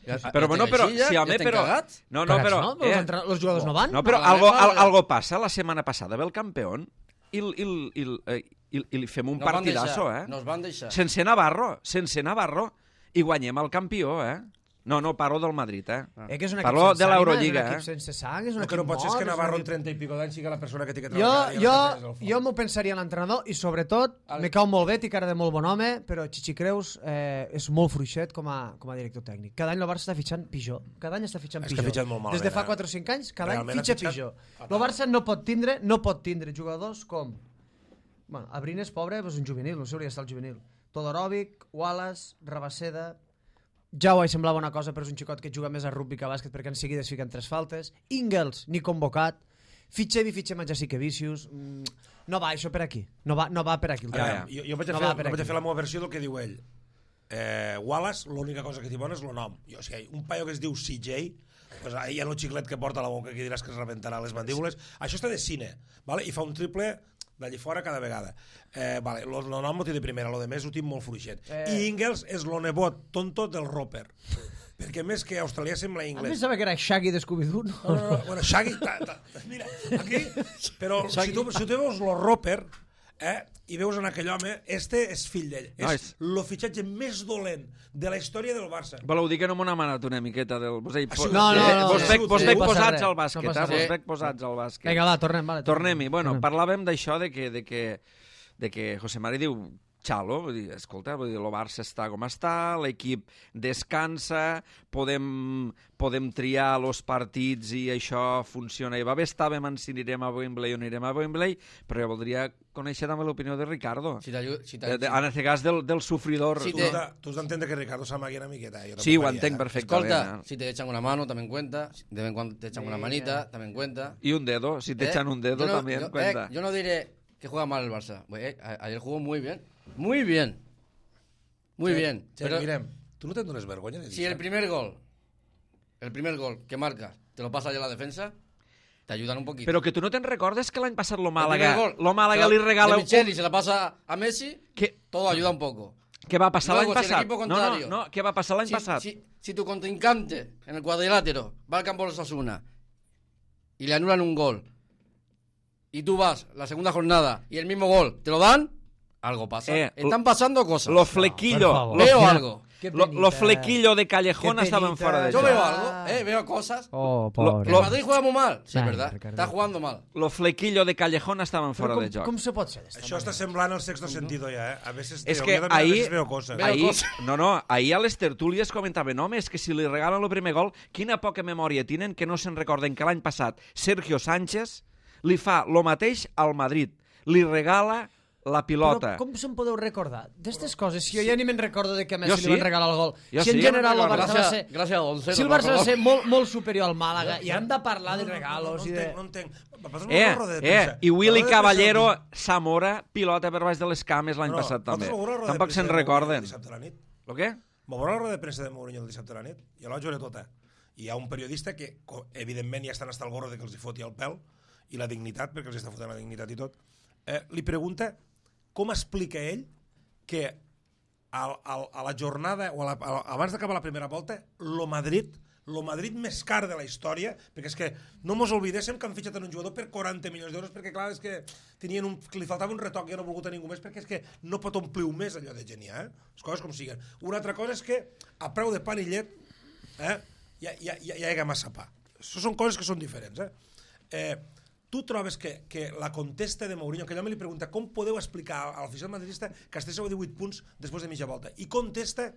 Speaker 1: Però bueno, però, sí, home, però... No, no, però...
Speaker 3: Los jugadors no van?
Speaker 1: No, però algo passa. La setmana passada ve el campió i li fem un partidazo, eh?
Speaker 2: Nos van deixar.
Speaker 1: Sense Navarro, i guanyem el campió, eh? No, parlo del Madrid, eh?
Speaker 3: Que és un equip
Speaker 1: Parlo
Speaker 3: sense
Speaker 1: de
Speaker 3: ànima,
Speaker 1: l'Eurolliga,
Speaker 3: és un
Speaker 1: eh?
Speaker 3: equip sense sang, és un
Speaker 4: El que
Speaker 3: equip
Speaker 4: no pot ser és que
Speaker 3: mort,
Speaker 4: Navarro en
Speaker 3: és
Speaker 4: 30 i pico d'anys sigui la persona que té que
Speaker 3: Jo,
Speaker 4: treballar.
Speaker 3: jo m'ho pensaria en l'entrenador i sobretot me cau molt bé, té cara de molt bon home, però Chichi Creus és molt fluixet com a director tècnic. Cada any el Barça està fitxant pitjor. Cada any està fitxant
Speaker 4: És que
Speaker 3: pitjor.
Speaker 4: ha fitxat molt malament,
Speaker 3: Des de fa
Speaker 4: eh?
Speaker 3: 4 o 5 anys, cada any
Speaker 4: Realment ha
Speaker 3: fitxa
Speaker 4: fitxat
Speaker 3: pitjor.
Speaker 4: fatal.
Speaker 3: El Barça no pot tindre jugadors com... Bueno, Abrines, pobre, és un juvenil, no sé, hauria d'estar el juvenil. Todorovic, Wallace, Rabaseda... Jau semblava una cosa, però és un xicot que juga més a rugby que a bàsquet perquè en seguida es fiquen 3 faltes. Ingels, ni convocat. Fitxem a Jasikevičius. No va això per aquí. No va per aquí.
Speaker 4: Jo vaig a fer la meva versió del que diu ell. Wallace, l'única cosa que té bona és el nom. O sigui, un paio que es diu CJ, pues ahí hi ha un xiclet que porta a la boca que diràs que es rebentarà les mandíbules. Això està de cine, vale? I fa un triple d'allí fora cada vegada. Vale, el nom ho té de primera, el de més ho tinc molt fluixet. I Ingels és el nebot tonto del Roper. Perquè més que australià sembla
Speaker 3: A
Speaker 4: anglès.
Speaker 3: més sabia que era Shaggy de Scooby-Doo.
Speaker 4: No. Bueno, Shaggy... Mira, aquí... Però si tu veus el Roper, i veus en aquell home, este és fill d'ell. És el fitxatge més dolent de la història del Barça.
Speaker 1: Voleu dir que no m'ho ha manat una miqueta del... Vos
Speaker 3: No,
Speaker 1: vos veig
Speaker 3: no passa
Speaker 1: posats
Speaker 3: res,
Speaker 1: al bàsquet,
Speaker 3: no passa
Speaker 1: vos
Speaker 3: res.
Speaker 1: veig posats al bàsquet.
Speaker 3: Vinga, va, tornem. Vale,
Speaker 1: Tornem-hi. Bueno, parlàvem d'això de que José Mari diu xalo, vull dir, escolta, vull dir, el Barça està com està, l'equip descansa, podem triar els partits i això funciona i va bé, estàvem en si anirem a Wembley o no anirem a Wembley, però jo voldria conèixer també l'opinió de Ricardo. En aquest cas del sufridor.
Speaker 4: Tu has d'entendre que Ricardo s'amagui una miqueta.
Speaker 1: Sí, ho entenc perfectament.
Speaker 2: Escolta, si te echan una mano, también cuenta. De vez en cuando te echan una manita, también cuenta.
Speaker 1: Y un dedo, si te echan un dedo también cuenta.
Speaker 2: Yo no diré que juega mal el Barça. Ayer jugó muy bien. Muy bien. Pero
Speaker 4: Mirem, tu no te'n dones vergonya de dir
Speaker 2: si el primer gol que marcas te lo pasa ya la defensa, te ayudan un poquito.
Speaker 1: Però que tu no te'n recordes que l'any passat lo Màlaga li regala...
Speaker 2: De Micheli se la pasa a Messi, todo ayuda un poco.
Speaker 1: Què va passar l'any
Speaker 2: Luego, si el
Speaker 1: passat?
Speaker 2: equipo contrario-
Speaker 1: No, què va passar l'any passat?
Speaker 2: Si tu contrincante en el cuadrilátero va al campo de Osasuna y le anulan un gol y tú vas la segunda jornada y el mismo gol te lo dan, algo pasa. Están pasando cosas.
Speaker 1: Lo flequillo.
Speaker 2: Veo algo.
Speaker 1: Lo flequillo de Callejón estaban fuera de
Speaker 2: Yo
Speaker 1: eso.
Speaker 2: veo algo, veo cosas.
Speaker 3: Oh, pobre.
Speaker 2: El Madrid juega muy mal. Sí, es
Speaker 3: Ay,
Speaker 2: verdad.
Speaker 3: Ricardo.
Speaker 2: Está jugando mal.
Speaker 1: Lo flequillo de Callejón estaven fora de joc.
Speaker 3: Com se pot ser?
Speaker 4: Això està semblant al sexto sentido ja, A veces
Speaker 1: És que ahir
Speaker 4: veo coses.
Speaker 1: ahir a les tertúlies comentaven, home, és que si li regalen el primer gol, quina poca memòria tenen que no se'n recorden que l'any passat Sergio Sánchez li fa lo mateix al Madrid. Li regala la pilota.
Speaker 3: Però com se'n podeu recordar d'estes coses? Si jo ja ni me'n recordo de que a Messi
Speaker 1: Jo
Speaker 3: li van regalar el gol.
Speaker 1: Jo
Speaker 3: Si en
Speaker 1: sí.
Speaker 3: general el Barça va ser...
Speaker 2: Gràcies a Gonzalo.
Speaker 3: Si el Barça va ser molt superior al Màlaga i hem de parlar de regalos i de...
Speaker 4: No entenc.
Speaker 1: I Willy Caballero, Zamora, pilota per baix de les cames l'any passat també. Tampoc se'n recorden. El què?
Speaker 4: M'ho veurà la roda de premsa de Mourinho el dissabte a la nit? Jo la vaig veure tota. I hi ha un periodista que, evidentment, ja estan hasta el gorro de que els hi foti el pèl i la dignitat, perquè els està fotent la dignitat i tot. Li pregunta com explica ell que a la jornada, o abans d'acabar la primera volta, lo Madrid més car de la història, perquè és que no mos oblidéssim que han fitxat un jugador per 40 milions d'euros, perquè clar, és que li faltava un retoc i no ha volgut a ningú més, perquè és que no pot omplir més allò de geniar, les coses com siguen. Una altra cosa és que a preu de pan i llet hi ha massa pa. Això són coses que són diferents. Tu trobes que la contesta de Mourinho, que allò me li pregunta com podeu explicar a l'afició madridista que estigueu a 18 punts després de mitja volta, i contesta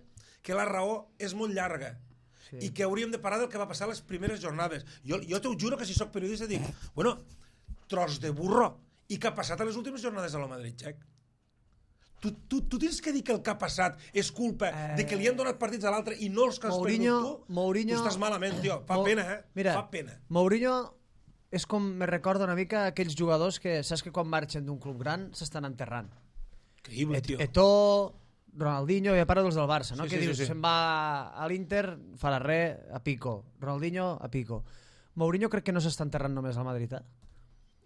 Speaker 4: que la raó és molt llarga i que hauríem de parar del que va passar a les primeres jornades. Jo t'ho juro que si sóc periodista dic, bueno, tros de burro, i què ha passat a les últimes jornades de la Madrid, Xec? Tu tens que dir que el que ha passat és culpa de que li han donat partits a l'altre i no els que has perdut tu? Tu estàs malament, tio. Fa pena,
Speaker 3: Mira,
Speaker 4: fa pena.
Speaker 3: Mourinho és com me recorda una mica aquells jugadors que saps que quan marxen d'un club gran s'estan enterrant.
Speaker 4: Increïble, tio.
Speaker 3: Eto'o, Ronaldinho, ja parlo dels del Barça, no?
Speaker 4: Sí,
Speaker 3: Que
Speaker 4: sí,
Speaker 3: dius,
Speaker 4: sí.
Speaker 3: se'n va a l'Inter, farà res, a pico. Ronaldinho, a pico. Mourinho crec que no s'està enterrant només al Madrid,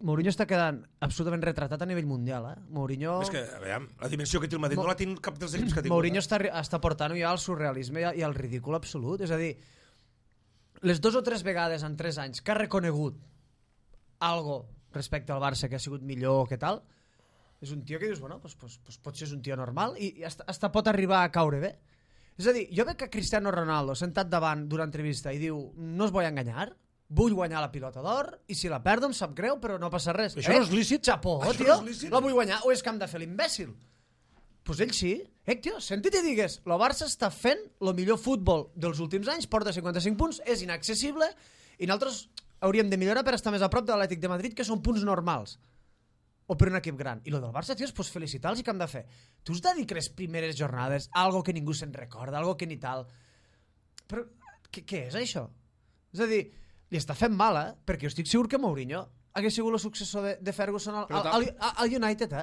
Speaker 3: Mourinho està quedant absolutament retratat a nivell mundial, Mourinho...
Speaker 4: És que, a veure, la dimensió que té el Madrid no la té cap dels equips que ha tingut.
Speaker 3: Mourinho està portant ja al surrealisme i al ridícul absolut. És a dir, les 2 o 3 vegades en 3 anys que ha reconegut algo respecte al Barça que ha sigut millor, que tal, és un tio que dius, bueno, pues potser és un tio normal i hasta pot arribar a caure bé. És a dir, jo veig que Cristiano Ronaldo sentat davant d'una entrevista i diu, no us vull enganyar, vull guanyar la pilota d'or i si la perdo em sap greu però no passa res.
Speaker 4: Això no és lícit?
Speaker 3: Xapó,
Speaker 4: Això
Speaker 3: tio,
Speaker 4: no és lícit?
Speaker 3: la vull guanyar o és que hem de fer l'imbècil? Pues ell sí. Tio, sentit i digues, el Barça està fent el millor futbol dels últims anys, porta 55 punts, és inaccessible i nosaltres hauríem de millorar per estar més a prop de l'Atlètic de Madrid, que són punts normals. O per un equip gran. I lo del Barça, tio, pues felicitar-los i què hem de fer? Tu has de dir que les primeres jornades, algo que ningú se'n recorda, algo que ni tal... Però què és això? És a dir, li està fent mal, perquè jo estic segur que Mourinho hagués sigut el successor de Ferguson al United,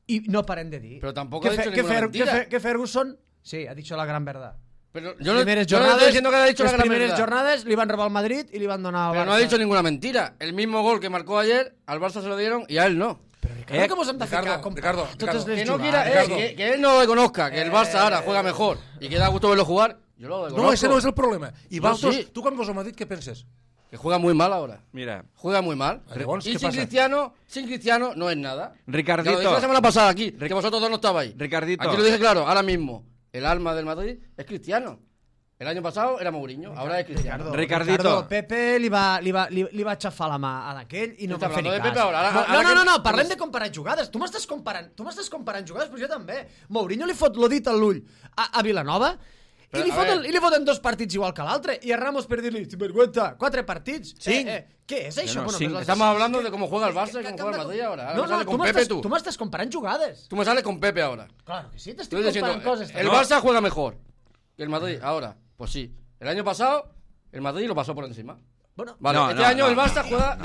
Speaker 3: I no paren de dir.
Speaker 2: Pero tampoco ha dicho ninguna mentira.
Speaker 3: Que Ferguson, sí, ha dicho la gran verdad.
Speaker 2: Pero yo no estoy diciendo que haya dicho la gran
Speaker 3: primeras
Speaker 2: verdad.
Speaker 3: jornadas li van robar al Madrid y le van donar al
Speaker 2: Pero
Speaker 3: Barça.
Speaker 2: no ha dicho ninguna mentira. El mismo gol que marcó ayer, al Barça se lo dieron y a él no.
Speaker 3: Pero Ricardo, ¿cómo se han de
Speaker 4: Ricardo,
Speaker 3: ficar con
Speaker 4: Ricardo,
Speaker 3: totes les
Speaker 2: Que no
Speaker 3: jugades?
Speaker 2: quiera, que él no lo conozca, que el Barça ahora juega mejor y que da gusto verlo jugar, yo lo conozco.
Speaker 4: No, ese no és el problema. I
Speaker 2: No,
Speaker 4: vosaltres,
Speaker 2: sí.
Speaker 4: tu quan vas al Madrid, què penses?
Speaker 2: Que juega muy mal ahora.
Speaker 1: Mira,
Speaker 2: Juega muy mal.
Speaker 4: Llavors,
Speaker 2: Y
Speaker 4: què
Speaker 2: sin
Speaker 4: passa?
Speaker 2: Cristiano no es nada.
Speaker 1: Ricardito.
Speaker 2: Ya lo dije la semana pasada aquí, que vosotros dos no estabais.
Speaker 1: Ricardito.
Speaker 2: Aquí lo dije claro, ahora mismo. El alma del Madrid es Cristiano. El año pasado era Mourinho, ahora es Cristiano.
Speaker 1: Ricardito.
Speaker 3: Pepe li va aixafar la mà a d'aquell i no
Speaker 2: Està
Speaker 3: va fer ni
Speaker 2: hablando de
Speaker 3: cas.
Speaker 2: Pepe ahora. Ahora
Speaker 3: No,
Speaker 2: que-
Speaker 3: parlem de comparar jugades. Tu m'estàs comparant jugades, però jo també. Mourinho li fot lo dit a l'ull a Vilanova i li foten 2 partits igual que l'altre. I a Ramos per dir-li, sinvergüenza, 4 partits.
Speaker 2: Cinc.
Speaker 3: Què és això?
Speaker 1: No,
Speaker 3: Bueno,
Speaker 1: cinc.
Speaker 3: pues
Speaker 2: Estamos hablando de cómo juega el Barça y
Speaker 3: que-
Speaker 2: cómo
Speaker 3: que-
Speaker 2: juega el Madrid ahora. Ahora
Speaker 3: No,
Speaker 2: me sale
Speaker 3: tu
Speaker 2: con Pepe
Speaker 3: tu m'estàs comparant jugades.
Speaker 2: Tú me sales con Pepe ahora.
Speaker 3: Claro que sí,
Speaker 2: Tú
Speaker 3: t'estic
Speaker 2: estás diciendo,
Speaker 3: comparant coses.
Speaker 2: el Barça juega mejor que el Madrid ahora. Pues sí. El año pasado, el Madrid lo pasó por encima.
Speaker 3: Bueno,
Speaker 2: Vale,
Speaker 1: No,
Speaker 2: este
Speaker 1: no,
Speaker 2: año
Speaker 1: no,
Speaker 2: el Barça
Speaker 1: no,
Speaker 2: juega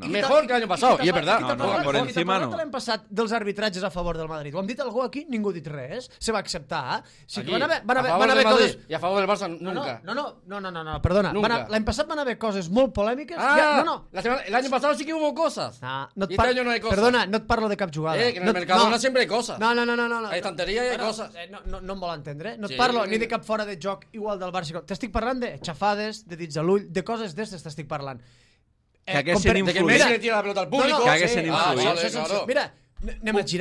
Speaker 2: mejor que el año pasado. Y es verdad.
Speaker 1: por encima no.
Speaker 3: L'any passat dels arbitratges a favor del Madrid. Ho hem dit algú aquí? Ningú ha dit res. Se va acceptar. Sí,
Speaker 2: Aquí,
Speaker 3: que van
Speaker 2: a favor
Speaker 3: haver
Speaker 2: del Madrid
Speaker 3: coses...
Speaker 2: y a favor del Barça nunca.
Speaker 3: No, perdona.
Speaker 2: Nunca.
Speaker 3: L'any passat van haver coses molt polèmiques.
Speaker 2: Ah,
Speaker 3: No.
Speaker 2: el año pasado sí que hubo cosas.
Speaker 3: No et
Speaker 2: Y este año no hay cosas.
Speaker 3: Perdona, no et parlo de cap jugada.
Speaker 2: Que en el Mercadona siempre hay cosas.
Speaker 3: No.
Speaker 2: Hay estantería y hay cosas.
Speaker 3: No em vol entendre. No et
Speaker 2: Sí.
Speaker 3: parlo ni de cap fora de joc igual del Barça. T'estic parlant de xafades, de dits a l'ull, de coses d'estes t'estic parlant.
Speaker 1: Que haguessin
Speaker 2: De que
Speaker 1: influït.
Speaker 2: Messi le tira la pelota al público.
Speaker 1: Que haguessin
Speaker 3: sí,
Speaker 1: influït.
Speaker 2: vale,
Speaker 3: això,
Speaker 2: claro.
Speaker 3: Mira,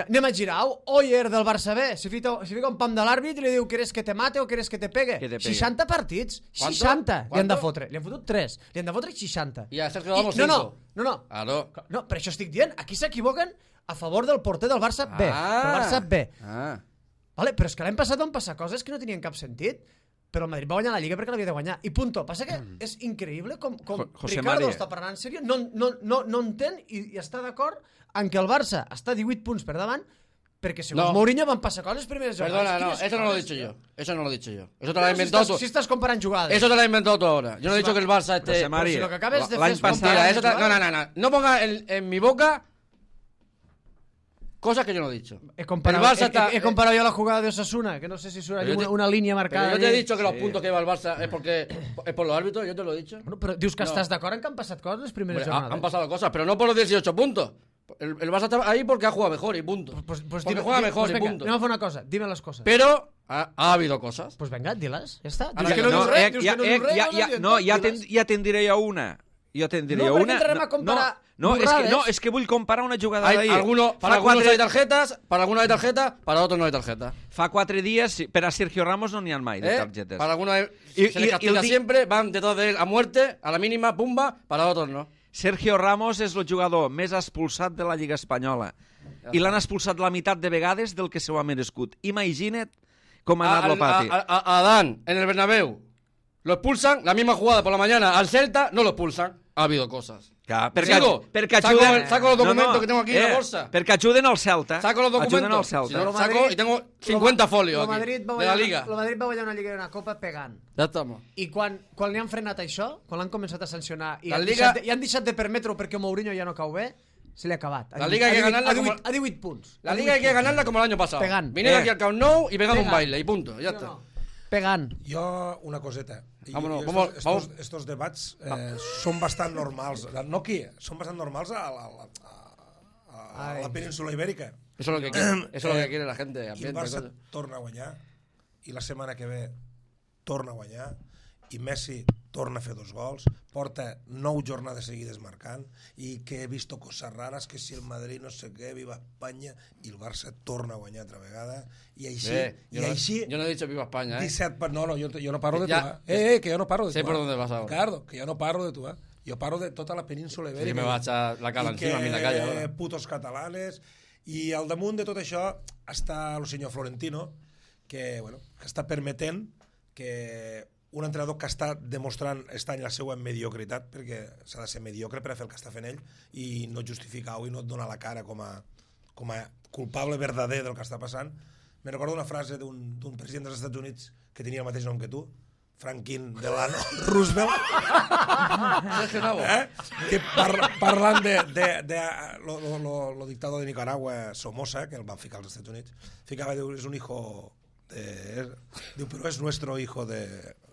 Speaker 3: anem a girar. Oyer del Barça B. Si fica un pam de l'àrbit i li diu ¿quieres que te mate o quieres que te pegue?
Speaker 1: Que te pegue.
Speaker 3: 60 partits.
Speaker 2: ¿Cuánto?
Speaker 3: 60 li han de
Speaker 2: ¿Cuánto?
Speaker 3: fotre. Li han fotut 3. Li han de fotre 60.
Speaker 2: Y a Sergio Ramos
Speaker 3: No.
Speaker 2: 5. Claro.
Speaker 3: No, per això estic dient. Aquí s'equivoquen a favor del porter del Barça B. Del Barça B. Vale? Però és que l'any passat van passar coses que no tenien cap sentit. Però el Madrid va guanyar la Lliga perquè l'havia de guanyar. I punto. Passa que és increïble com
Speaker 1: José
Speaker 3: Ricardo
Speaker 1: María.
Speaker 3: està parlant en sèrio, no entén i està d'acord en que el Barça està 18 punts per davant perquè segons
Speaker 2: No.
Speaker 3: Mourinho van passar coses primeres jornades.
Speaker 2: Perdona, no,
Speaker 3: Quines
Speaker 2: eso no lo he
Speaker 3: coses,
Speaker 2: dicho
Speaker 3: tio?
Speaker 2: yo. Eso no lo he dicho yo. Eso te lo has
Speaker 3: Però
Speaker 2: inventado tú.
Speaker 3: si estàs comparant jugades.
Speaker 2: Eso te lo has inventado tú ahora. Yo no he dicho que el Barça
Speaker 1: José
Speaker 2: esté...
Speaker 1: María.
Speaker 3: si lo que acabes de
Speaker 1: L'any
Speaker 3: fer és
Speaker 1: passat-
Speaker 3: comparar
Speaker 2: Mentira, eso te...
Speaker 3: jugades.
Speaker 2: No ponga en mi boca cosas que yo no he dicho.
Speaker 3: He comparado,
Speaker 2: El Barça está-
Speaker 3: he comparado yo la jugada de Osasuna, que no sé si surt allí
Speaker 2: Pero yo te-
Speaker 3: una línea
Speaker 2: Pero
Speaker 3: marcada.
Speaker 2: yo te he
Speaker 3: allí.
Speaker 2: dicho que los puntos que lleva el Barça es por los árbitros, yo te lo he dicho.
Speaker 3: Bueno, però dius que
Speaker 2: No.
Speaker 3: estàs d'acord en que han passat coses les primeres
Speaker 2: Hombre,
Speaker 3: jornades.
Speaker 2: han pasado cosas, pero no por los 18 puntos. El Barça está ahí porque ha jugado mejor y punto.
Speaker 3: Pues
Speaker 2: porque juega mejor y
Speaker 3: venga,
Speaker 2: punto.
Speaker 3: anem a fer una cosa, dime les coses.
Speaker 2: Pero ha habido cosas.
Speaker 3: Pues venga, diles, ja està.
Speaker 2: Ara
Speaker 3: Dius que no
Speaker 2: no,
Speaker 3: dius res, dius que no dius res,
Speaker 1: ja te'n diré jo una. Jo te'n diré
Speaker 3: No, perquè
Speaker 1: una.
Speaker 3: entrarem a comparar
Speaker 1: No,
Speaker 3: burrades.
Speaker 1: és que vull comparar una jugada
Speaker 2: Hay
Speaker 1: d'ahir.
Speaker 2: para algunos hay tarjetas, para algunos hay tarjetas, para otros no hay tarjeta.
Speaker 1: Fa 4 dies, per a Sergio Ramos no n'hi ha mai de targetes.
Speaker 2: Para algunos
Speaker 1: Y-
Speaker 2: se les
Speaker 1: y-
Speaker 2: castiga
Speaker 1: y-
Speaker 2: siempre, van detrás de él a muerte, a la mínima, pumba, para otros no.
Speaker 1: Sergio Ramos és el jugador més expulsat de la Lliga Espanyola. I l'han expulsat la meitat de vegades del que s'ho ha merescut. Imagina't com ha anat el pati.
Speaker 2: A Adán, en el Bernabéu, lo expulsan, la misma jugada por la mañana al Celta, no lo expulsan. Ha habido cosas.
Speaker 1: Clar,
Speaker 2: perquè
Speaker 1: ajuden...
Speaker 2: Saco los documentos que tengo aquí en la bolsa.
Speaker 1: Perquè ajuden al Celta.
Speaker 2: Saco los
Speaker 1: Ajuden al
Speaker 2: documentos.
Speaker 1: Celta.
Speaker 2: Si no, saco y tengo 50 folios aquí, de la Liga.
Speaker 3: El Madrid va guanyar una Lliga i una Copa pegant.
Speaker 2: Ya estamos.
Speaker 3: I quan li han frenat això, quan l'han començat a sancionar i
Speaker 2: La
Speaker 3: han,
Speaker 2: Liga-
Speaker 3: i han deixat de permetre-ho perquè Mourinho ja no cau bé, se li ha acabat.
Speaker 2: La Liga hay que ganarla
Speaker 3: a 18 punts.
Speaker 2: La Liga hay que ganarla como el año pasado.
Speaker 3: Pegant.
Speaker 2: Viniendo aquí al Camp Nou y pegando un
Speaker 3: Pegant.
Speaker 2: baile y punto. Ya está.
Speaker 3: Pegant.
Speaker 4: Jo, una coseta.
Speaker 2: Vámonos,
Speaker 4: Estos debats són bastant normals. No aquí, són bastant normals a la península ibèrica.
Speaker 2: Eso es lo que quiere, eso es lo que quiere la gente.
Speaker 4: I el
Speaker 2: Ambiente,
Speaker 4: Barça
Speaker 2: cosas.
Speaker 4: torna a guanyar, i la setmana que ve torna a guanyar, i Messi torna a fer 2 gols, porta 9 jornades seguides marcant, i que he vist coses rares, que si el Madrid no sé què, viva Espanya, i el Barça torna a guanyar altra vegada, i així...
Speaker 2: Yo no he dicho viva España,
Speaker 4: 17... No, jo no parlo de tu,
Speaker 2: Ya,
Speaker 4: que jo no parlo de tu.
Speaker 2: sé por dónde vas ahora.
Speaker 4: Ricardo, que jo no parlo de tu, Jo parlo de tota la península ibèrica.
Speaker 2: Sí, me va a echar la cala encima a mí en la calle ahora.
Speaker 4: Putos catalanes, i al damunt de tot això està el senyor Florentino, que està permetent que un entrenador que està demostrant aquest any la seva mediocritat, perquè s'ha de ser mediocre per a fer el que està fent ell i no justificar-ho i no et donar la cara com a culpable verdader del que està passant. Me recordo una frase d'un president dels Estats Units que tenia el mateix nom que tu, Franklin Delano Roosevelt, que parlant lo dictador de Nicaragua, Somoza, que el van ficar als Estats Units, ficava, diu, és un hijo... diu, però és nuestro hijo de...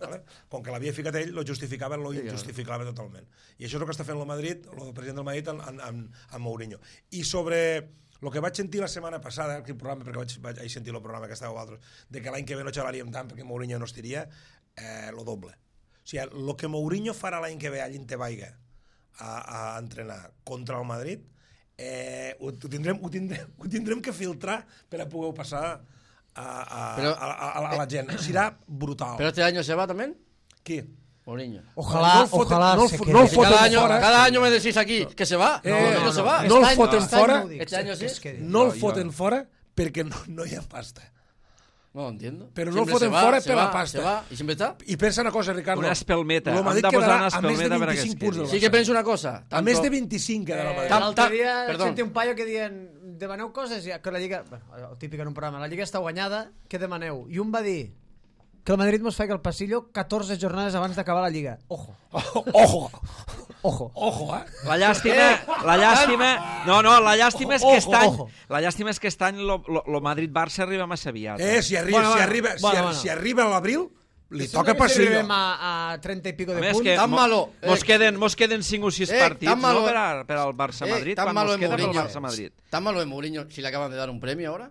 Speaker 4: ¿vale? Com que l'havia ficat ell, lo justificava, lo injustificava totalment. I això és el que està fent el Madrid, el president del Madrid amb Mourinho. I sobre el que vaig sentir la setmana passada, el programa, perquè vaig sentir el programa que estàveu vosaltres, de que l'any que ve no xalaríem tant perquè Mourinho no estiria, lo doble. O sigui, el que Mourinho farà l'any que ve allà en Tebaiga a entrenar contra el Madrid, ho tindrem que filtrar per a poder passar a la gent. Serà brutal.
Speaker 2: ¿Pero este año se va también?
Speaker 4: Qui?
Speaker 2: Mourinho.
Speaker 3: Ojalá se quede.
Speaker 4: No el foten fora.
Speaker 2: Cada año me decís aquí que se va. No se va.
Speaker 4: No el foten fora.
Speaker 2: Este año sí.
Speaker 4: No el foten fora perquè no hi ha pasta.
Speaker 2: No lo entiendo.
Speaker 4: Però no el
Speaker 2: Siempre
Speaker 4: foten
Speaker 2: se va,
Speaker 4: fora
Speaker 2: se
Speaker 4: per
Speaker 2: va,
Speaker 4: la pasta.
Speaker 2: se va, y siempre está.
Speaker 4: I pensa una cosa, Ricardo.
Speaker 1: Una espelmeta.
Speaker 4: El Madrid
Speaker 1: Hem de posar
Speaker 4: quedarà
Speaker 1: una
Speaker 4: a més de
Speaker 1: espelmeta per a que
Speaker 4: 25
Speaker 1: es
Speaker 4: punts del
Speaker 1: quedi.
Speaker 2: Sí que penso una cosa.
Speaker 4: A més de 25 quedarà el Madrid.
Speaker 3: L'altre dia
Speaker 2: Perdón.
Speaker 3: sentia un paio que diuen demaneu coses, que la Lliga, el típic en un programa, la Lliga està guanyada, què demaneu? I un va dir que el Madrid mos faig al passillo 14 jornades abans d'acabar la Lliga. Ojo.
Speaker 4: Ojo,
Speaker 1: La llàstima... No, la llàstima és que aquest any...
Speaker 3: Ojo.
Speaker 1: La llàstima és que aquest any lo Madrid-Barça arriba massa aviat.
Speaker 4: Si arriba a l'abril, li toca
Speaker 3: Si
Speaker 4: passillo.
Speaker 3: arribem a 30 i pico de
Speaker 1: A més
Speaker 3: punts...
Speaker 1: que
Speaker 2: Tan malo.
Speaker 1: mos queden 5 o 6 partits,
Speaker 2: tan malo,
Speaker 1: no, per al Barça-Madrid,
Speaker 2: tan
Speaker 1: quan
Speaker 2: malo
Speaker 1: mos
Speaker 2: es
Speaker 1: queda pel
Speaker 2: Mourinho.
Speaker 1: Barça-Madrid.
Speaker 2: Tan malo es Mourinho si le acaban de dar un premio ahora.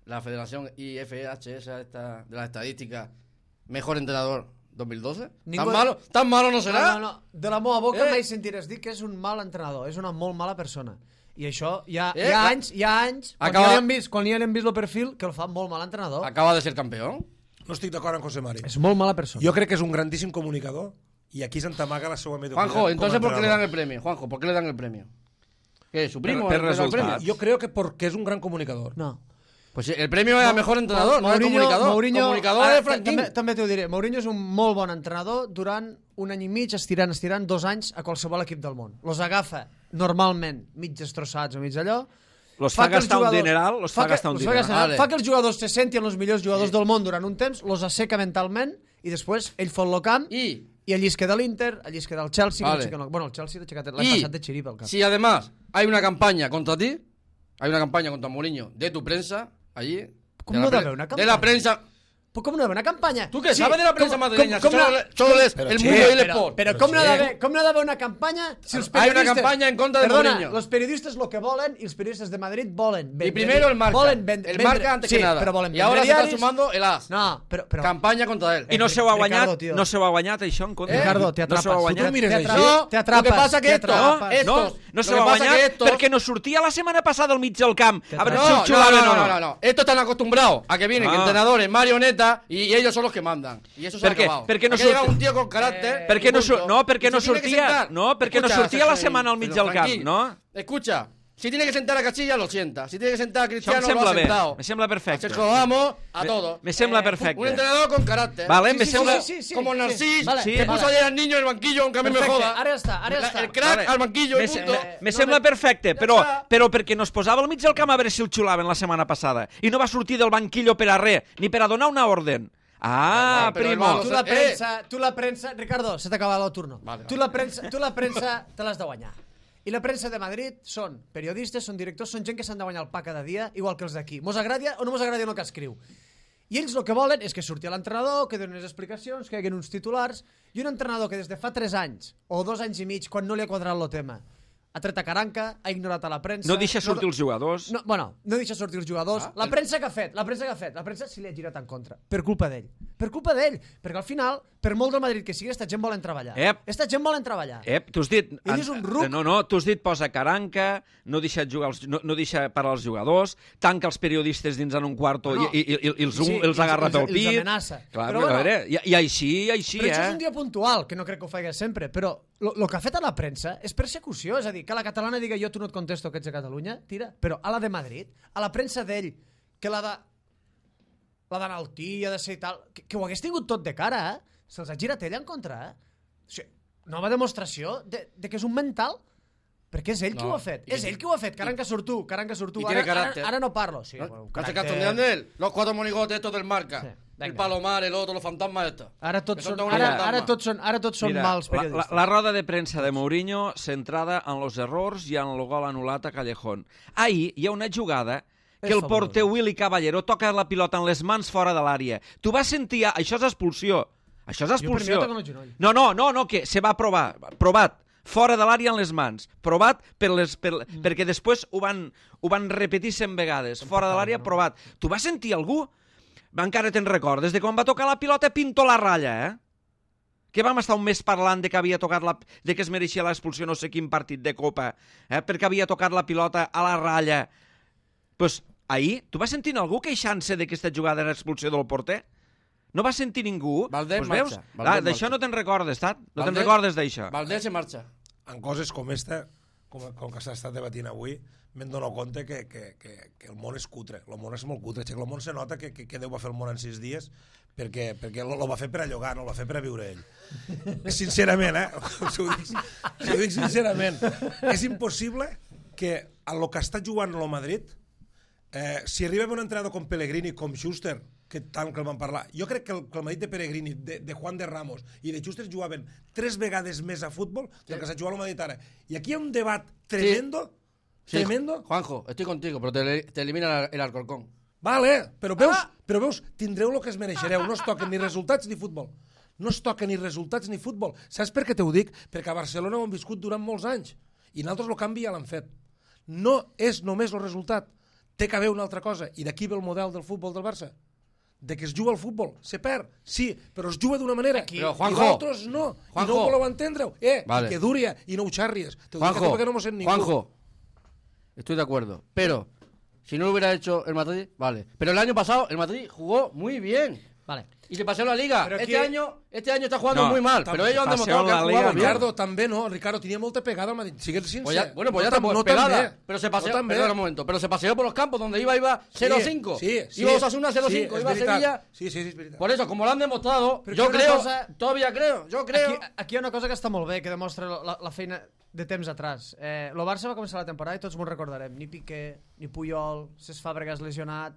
Speaker 2: La Federación IFHS esta de las estadísticas, mejor entrenador 2012. Tan malo no serà.
Speaker 3: No. De la meva boca mai sentiràs dir que és un mal entrenador, és una molt mala persona. I això hi ha anys, quan ja li han vist el perfil, que el fa molt mal entrenador.
Speaker 2: Acaba de ser campeón.
Speaker 4: No estic d'acord amb José Mari.
Speaker 3: És molt mala persona.
Speaker 4: Jo crec que és un grandíssim comunicador i aquí s'entamaga la seva mediocritat.
Speaker 2: Juanjo, entonces ¿por qué le dan el premio? Juanjo, ¿por qué le dan el premio? ¿Qué? ¿Su primo?
Speaker 1: Per
Speaker 2: le da el
Speaker 1: resultats.
Speaker 2: premio?
Speaker 4: Jo crec que perquè és un gran comunicador.
Speaker 3: No.
Speaker 2: Pues el premio es a mejor entrenador, no el comunicador. Comunicador
Speaker 3: ara,
Speaker 2: es Franquín.
Speaker 3: També t'ho diré. Mourinho és un molt bon entrenador durant un any i mig, estirant 2 anys a qualsevol equip del món. Los agafa normalment mig destrossats o mig allò.
Speaker 1: Los fa gastar un dineral, fa
Speaker 3: que els jugadors se sentin els millors jugadors del món durant un temps, los asseca mentalment i després ell fot el camp i allí es queda l'Inter, allí es queda el Chelsea.
Speaker 2: Vale.
Speaker 3: Bueno, el Chelsea l'ha aixecat l'any passat de xiripa al cap.
Speaker 2: Si además hay una campaña contra ti, hay una campaña contra Mourinho de tu prensa, allí...
Speaker 3: Com no debe una campanya?
Speaker 2: De la prensa...
Speaker 3: Però com no debe una campanya?
Speaker 2: ¿Tú qué sabes de la prensa madrileña? Solo lees el Mundo y el Sport.
Speaker 3: Però com no debe una campanya si els
Speaker 2: Hay
Speaker 3: periodistes...
Speaker 2: una campaña en contra de Mourinho.
Speaker 3: Los periodistes lo que volen i els periodistes de Madrid volen...
Speaker 2: Y primero el Marca. El Marca antes que nada.
Speaker 3: Però volen
Speaker 2: y ahora se está
Speaker 3: diaris.
Speaker 2: sumando el AS.
Speaker 3: No, però...
Speaker 2: Campaña contra él.
Speaker 1: I no se ho ha
Speaker 3: Ricardo,
Speaker 1: guanyat,
Speaker 3: tío.
Speaker 1: no se ho ha guanyat això en contra.
Speaker 3: Ricardo, te
Speaker 1: No se ho ha
Speaker 3: atrapas.
Speaker 1: guanyat.
Speaker 4: Tu mires això.
Speaker 2: Lo que pasa que
Speaker 1: No se ho ha guanyat perquè no sortia la setmana passada al mig del camp. A veure si ho xulaven o no.
Speaker 2: No. Estos están acostumbrados a que vienen entrenadores, marionetas, y ellos son los que mandan. Y eso se ha acabado.
Speaker 1: Per què no
Speaker 2: Aquí llega un tío con carácter.
Speaker 1: perquè no sortia la setmana al mig del camp, no?
Speaker 2: Escucha, Si tiene que sentar a Castilla, lo sienta. Si tiene que sentar a Cristiano,
Speaker 1: Això em
Speaker 2: lo ha
Speaker 1: sembla bé,
Speaker 2: sentado.
Speaker 1: me sembla perfecte.
Speaker 2: A Sergio Ramos, a todos.
Speaker 1: Me sembla perfecte.
Speaker 2: Un entrenador con carácter.
Speaker 1: Vale, me
Speaker 3: Sí,
Speaker 1: sembla...
Speaker 3: sí.
Speaker 2: Como Narcís,
Speaker 3: Vale,
Speaker 2: que puso ayer al niño en el banquillo, aunque a mí me
Speaker 3: Perfecte,
Speaker 2: joda.
Speaker 3: ara està.
Speaker 2: El crack
Speaker 1: Vale.
Speaker 2: al banquillo y punto.
Speaker 1: Me sembla perfecte,
Speaker 2: Ja
Speaker 1: però
Speaker 2: està.
Speaker 1: perquè no es posava al mig del camp a veure si el xulaven la setmana passada i no va sortir del banquillo per a res, ni per a donar una orden. Ah,
Speaker 2: Però,
Speaker 1: primo.
Speaker 2: hermano,
Speaker 3: Tu la premsa... Ricardo, se t'ha acabat el turno.
Speaker 2: Vale,
Speaker 3: Tu la premsa te l'has de guanyar. I la premsa de Madrid són periodistes, són directors, són gent que s'han de guanyar el pa cada dia, igual que els d'aquí. Mos agradi o no mos agradi el que escriu. I ells el que volen és que surti l'entrenador, que doni unes explicacions, que hi hagi uns titulars, i un entrenador que des de fa 3 anys o 2 anys i mig, quan no li ha quadrat el tema, ha tret a caranca, ha ignorat a la premsa...
Speaker 1: No deixa sortir els jugadors.
Speaker 3: No deixa sortir els jugadors. La premsa que ha fet, la premsa se li ha girat en contra. Per culpa d'ell. Perquè al final, per molt del Madrid que sigui, esta gent volen treballar. Esta gent volen treballar.
Speaker 1: Tu has dit...
Speaker 3: Ell és un ruc.
Speaker 1: No, tu has dit posa caranca, no deixa parar els jugadors, tanca els periodistes dins en un quarto i els agarra pel pit.
Speaker 3: Els amenaça.
Speaker 1: Clar, però a veure, i així,
Speaker 3: però això és un dia puntual, que no crec que ho faci sempre, però el que ha fet a la premsa és persecució, és a dir, que la catalana diga jo tu no et contesto que ets de Catalunya, tira, però a la de Madrid, a la premsa d'ell, que l'ha d'enaltir, ha de ser i tal, que ho hagués tingut tot de cara, se'ls ha girat ell en contra, O sigui, nova demostració de que és un mental, perquè és ell qui ho ha fet, és ell qui ho ha fet, caranca surt tu,
Speaker 2: Y tiene carácter.
Speaker 3: ara no parlo. Sí,
Speaker 2: ¿No se castonean de él? Los 4 monigotes estos del Marca.
Speaker 3: Sí, venga.
Speaker 2: El Palomar, el otro, los fantasmas estos.
Speaker 3: Ara tots
Speaker 2: Que
Speaker 3: són,
Speaker 2: són una
Speaker 3: ara tots són
Speaker 1: Mira,
Speaker 3: mals periodistes.
Speaker 1: la roda de premsa de Mourinho centrada en los errors i en el gol anul·lat a Callejón. Ahir hi ha una jugada que
Speaker 3: És
Speaker 1: el
Speaker 3: fabulosa.
Speaker 1: porter Willy Caballero toca la pilota en les mans fora de l'àrea. Tu vas sentir... Això és expulsió. Això és
Speaker 3: Jo per mi
Speaker 1: expulsió.
Speaker 3: no toco en el genoll.
Speaker 1: No, que se va provar. Provat. Fora de l'àrea en les mans. Provat perquè després ho van repetir 100 vegades. Fora de l'àrea, provat. Tu vas sentir algú? Encara te'n recordes de quan va tocar la pilota pinto la ratlla, que vam estar un mes parlant de que havia tocat de que es mereixia l'expulsió no sé quin partit de Copa, perquè havia tocat la pilota a la ratlla. Pues ahir, tu vas sentir algú queixant-se de que aquesta jugada era expulsió del porter? No vas sentir ningú?
Speaker 2: Valdés
Speaker 1: pues
Speaker 2: marxa,
Speaker 1: veus?
Speaker 2: Valdés
Speaker 1: D'això
Speaker 2: marxa.
Speaker 1: no te'n recordes, Tat? No te'n
Speaker 2: Valdés-
Speaker 1: recordes d'això?
Speaker 2: Valdés se marcha.
Speaker 4: En coses com esta, com que s'ha estat debatint avui, m'he donat compte que el món és cutre. El món és molt cutre. El món se nota que Déu va fer el món en 6 dies perquè lo va fer per a llogar, no el va fer per a viure ell. Sincerament, Ho dic sincerament. És impossible que a lo que està jugant el Madrid, si arriba un entrenador com Pellegrini, com Schuster, que tant que el van parlar, jo crec que el Madrid de Pellegrini, de Juan de Ramos i de Schuster jugaven 3 vegades més a futbol del que s'ha jugat al Madrid ara. I aquí hi ha un debat tremendo, tremendo.
Speaker 2: Juanjo, estoy contigo, pero te elimina el Alcorcón.
Speaker 4: Vale, però veus, tindreu el que es mereixereu, no es toquen ni resultats ni futbol. No es toquen ni resultats ni futbol. Saps per què t'ho dic? Perquè a Barcelona ho hem viscut durant molts anys i nosaltres el canvi ja l'han fet. No és només el resultat, té que haver una altra cosa, i d'aquí ve el model del futbol del Barça. De que es juga al futbol, se perd, sí, però es juga d'una manera,
Speaker 2: Però,
Speaker 4: i
Speaker 2: Juanjo,
Speaker 4: d'altres no, i no ho voleu entendre-ho.
Speaker 2: Vale.
Speaker 4: I que dúria, i no ho xarries. T'ho dic a tu perquè no m'ho sent ningú.
Speaker 2: Juanjo, estoy de acuerdo, pero si no lo hubiera hecho el Madrid, vale. Pero el año pasado el Madrid jugó muy bien.
Speaker 3: Vale.
Speaker 2: Y se pasó la liga.
Speaker 3: Pero
Speaker 2: Este
Speaker 3: aquí-
Speaker 2: año está jugando
Speaker 1: No,
Speaker 2: muy mal,
Speaker 4: tam-
Speaker 2: pero ellos han
Speaker 1: pasó
Speaker 2: demostrado que
Speaker 1: la
Speaker 2: han
Speaker 1: liga,
Speaker 2: jugado bien.
Speaker 4: Ricardo, també no. Ricardo tenia molta pegada al Madrid. Sigues sincer.
Speaker 2: Pues ya está, pues pegada. Pero se paseó, perdona un momento, pero se paseó por los campos donde iba 0-5.
Speaker 4: Sí,
Speaker 2: Iba Osasuna 0-5, iba Sevilla.
Speaker 4: Sí, es veritat.
Speaker 2: Por eso, como lo han demostrado,
Speaker 3: Pero
Speaker 2: yo
Speaker 3: que una
Speaker 2: creo,
Speaker 3: cosa-
Speaker 2: todavía creo, yo creo.
Speaker 3: Aquí hi ha una cosa que està molt bé, que demostra la feina de temps atrás. El Barça va començar la temporada i tots m'ho recordarem. Ni Piqué, ni Puyol, Cesc Fàbregas lesionat,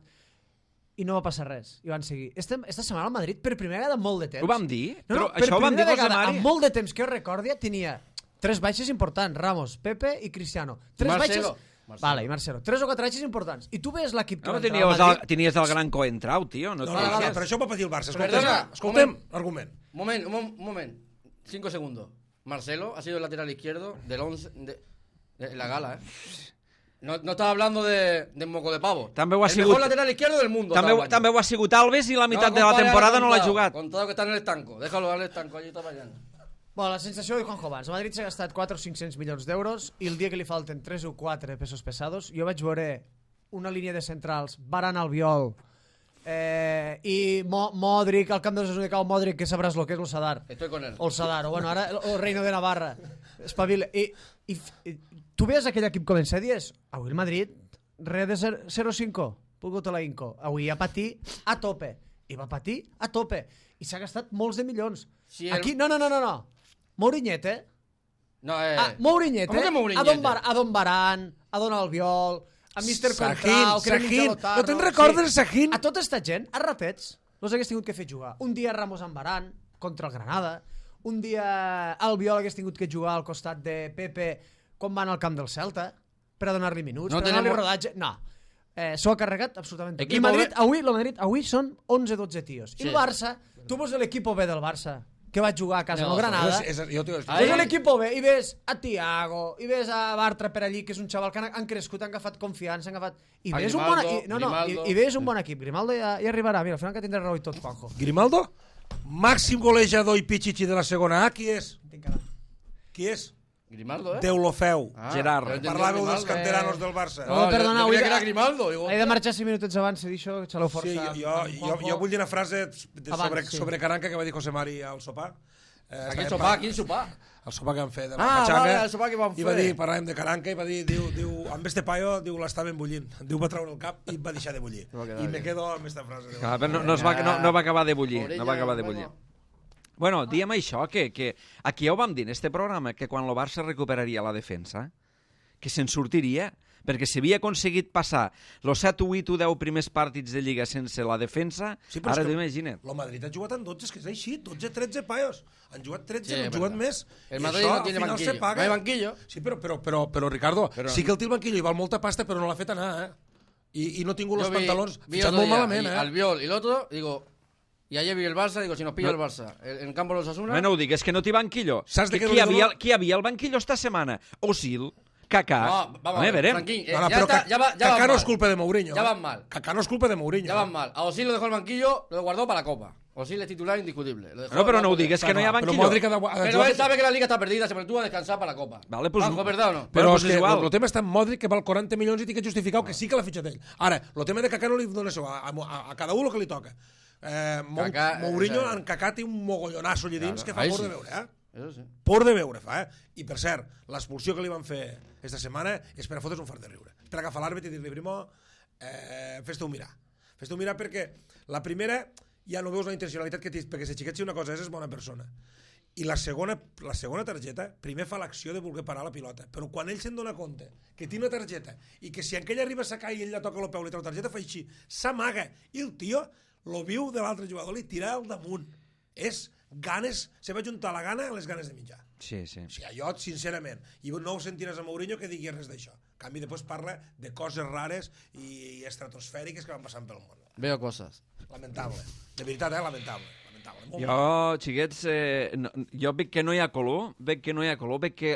Speaker 3: i no va passar res, i van seguir. Esta setmana el Madrid, per primera vegada en molt de temps...
Speaker 1: Ho vam dir?
Speaker 3: No,
Speaker 1: Però
Speaker 3: per
Speaker 1: això ho vam dir,
Speaker 3: primera
Speaker 1: José
Speaker 3: vegada,
Speaker 1: Mari?
Speaker 3: en molt de temps que jo recordi, tenia 3 baixes importants, Ramos, Pepe i Cristiano. 3
Speaker 2: Marcelo.
Speaker 3: baixes... Vale, i Marcelo. 3 o 4 baixes importants. I tu ves l'equip que
Speaker 1: No,
Speaker 3: va entrar al Madrid...
Speaker 1: tenies el gran Coentrau, tio. No,
Speaker 4: No,
Speaker 1: et queixes.
Speaker 4: però això ho va patir el Barça.
Speaker 2: Perdona,
Speaker 4: Escoltem argument.
Speaker 2: Un momento. 5 segundos. Marcelo ha sido el lateral izquierdo del 11 de la gala, No estaba hablando de moco de pavo.
Speaker 1: També ho ha
Speaker 2: el
Speaker 1: sigut-
Speaker 2: mejor lateral izquierdo del mundo.
Speaker 1: També ho ha sigut Alves i la meitat de la
Speaker 2: compare,
Speaker 1: temporada no l'ha
Speaker 2: Contado.
Speaker 1: jugat.
Speaker 2: Contado que está en el estanco. Déjalo al estanco, allí está fallando.
Speaker 3: Bueno, la sensació de Juanjo abans. El Madrid s'ha gastat 4 o 500 milions d'euros i el dia que li falten 3 o 4 pesos pesados, jo vaig veure una línia de centrals, Varane, Albiol, I Modric, al camp de les cau Modric, que sabràs lo que és el Sadar.
Speaker 2: Estoy con él.
Speaker 3: O el Sadar, o bueno, ara el Reino de Navarra. Espavila. I tu veies aquell equip començar i dius, avui el Madrid, res de 0-5, puc la Inco. Avui ha patit a tope. I va patir a tope. I s'ha gastat molts de milions.
Speaker 2: Sí,
Speaker 3: Aquí, no. Mourinhete.
Speaker 2: No,
Speaker 3: Mourinhete.
Speaker 2: ¿Cómo que Mourinhete?
Speaker 3: A Don Baran, a Don Albiol, a Mr.
Speaker 4: Sahin,
Speaker 3: Contrao,
Speaker 4: Sahin. No te'n recordes, Sahin?
Speaker 3: A tota esta gent, a ratets, els hagués tingut que fer jugar. Un dia Ramos amb Baran, contra el Granada. Un dia Albiol hagués tingut que jugar al costat de Pepe quan van al camp del Celta per a donar-li minuts,
Speaker 2: no
Speaker 3: per a donar-li
Speaker 2: tenemos...
Speaker 3: rodatge. No. S'ho ha carregat absolutament tot.
Speaker 2: Equipo
Speaker 3: El Madrid,
Speaker 2: B...
Speaker 3: el Madrid avui són 11-12 tios.
Speaker 2: Sí.
Speaker 3: I el Barça, tu veus l'equip B del Barça, que va jugar a casa amb el Granada, ves l'equip B i ves a Thiago, i ves a Bartra per allí, que és un xaval que han crescut, han agafat confiança, han agafat... I ves un bon equip. Grimaldo ja arribarà. Mira, al final que tindrà raó i tot, Juanjo.
Speaker 4: Grimaldo? Màxim golejador i pichichi de la segona A, qui és? Qui és?
Speaker 2: Grimaldo,
Speaker 4: Deulofeu.
Speaker 1: Gerard.
Speaker 4: Parlàveu dels canteranos del Barça.
Speaker 3: No, perdona,
Speaker 2: jo creia que era Grimaldo.
Speaker 3: He de marxar 5 minutets abans, he dit això, xaleu força.
Speaker 4: Sí, jo vull dir una frase sobre Caranca que va dir José Mari al sopar.
Speaker 2: Quin sopar? Quin sopar?
Speaker 4: El sopar que van fer de la
Speaker 2: Pachanga.
Speaker 4: Pachanga.
Speaker 2: El sopar que van fer.
Speaker 4: I va dir, parlàvem de Caranca, i va dir, diu, amb este paio, diu, l'estaven bullint. Diu, va treure el cap i va deixar de bullir. I me quedo amb esta frase.
Speaker 1: Clar, però no va acabar de bullir. No va acabar de bullir. Bueno, diem això, que aquí ja ho vam dir en este programa, que quan el Barça recuperaria la defensa, que se'n sortiria, perquè s'havia aconseguit passar els 7, 8 o 10 primers partits de Lliga sense la defensa,
Speaker 4: sí,
Speaker 1: ara t'imagina't.
Speaker 4: El Madrid ha jugat en 12, que és així, 12-13 paios. Han jugat 13, sí, han jugat més.
Speaker 2: El Madrid no tiene banquillo. No hay banquillo.
Speaker 4: Sí, però Ricardo, sí que el té el banquillo i val molta pasta, però no l'ha fet anar, I no ha tingut els pantalons fitxat molt malament,
Speaker 2: Albiol i l'altre, digo... Y ayer vi el Barça, digo, si nos pilla el Barça en el campo de los Osasuna...
Speaker 1: No ho digues, que no té banquillo.
Speaker 4: Saps de què
Speaker 1: qui havia al banquillo esta setmana? Osil, Kaká...
Speaker 2: No, vamos a ver, Franquín,
Speaker 4: Kaká no es culpa de Mourinho.
Speaker 2: Ya van mal.
Speaker 4: Kaká no es culpa de Mourinho.
Speaker 2: Ya van mal. A Osil lo dejó el banquillo, lo guardó para la Copa. Osil es titular indiscutible.
Speaker 1: No, però no ho digues, que no hi ha banquillo.
Speaker 2: Pero él sabe que la Liga está perdida, se tú a descansar para la Copa.
Speaker 1: Vale, pues...
Speaker 2: ¿Es verdad o no?
Speaker 4: Però és que el tema està en Modric, que val 40 milions i té que justificar que sí que l'ha fitxat ell. Ara, el tema de Kaká no li dona això, a cada un el que li toca. Mourinho en Kaká té un mogollonasso allà dins que fa por de veure, por de veure fa, I per cert, l'expulsió que li van fer esta setmana és per a fotre's un fart de riure, per agafar l'àrbit i dir-li, Primo, fes-te-ho mirar perquè la primera ja no veus la intencionalitat que tens, perquè si xiquet si una cosa és bona persona, i la segona targeta primer fa l'acció de voler parar la pilota, però quan ell se'n dona compte que té una targeta i que si aquella arriba a sacar i ell la toca el peu i li treu la targeta fa així, s'amaga, i el tio lo viu de l'altre jugador li tira al damunt. És ganes, se va juntar la gana a les ganes de menjar.
Speaker 1: Sí.
Speaker 4: O sigui, jo, sincerament, i no ho sentiràs a Mourinho que digui res d'això. En canvi, després parla de coses rares i estratosfèriques que van passant pel món.
Speaker 2: Veo coses.
Speaker 4: Lamentable. De veritat, lamentable.
Speaker 1: Jo, xiquets, jo veig que no hi ha color, veig que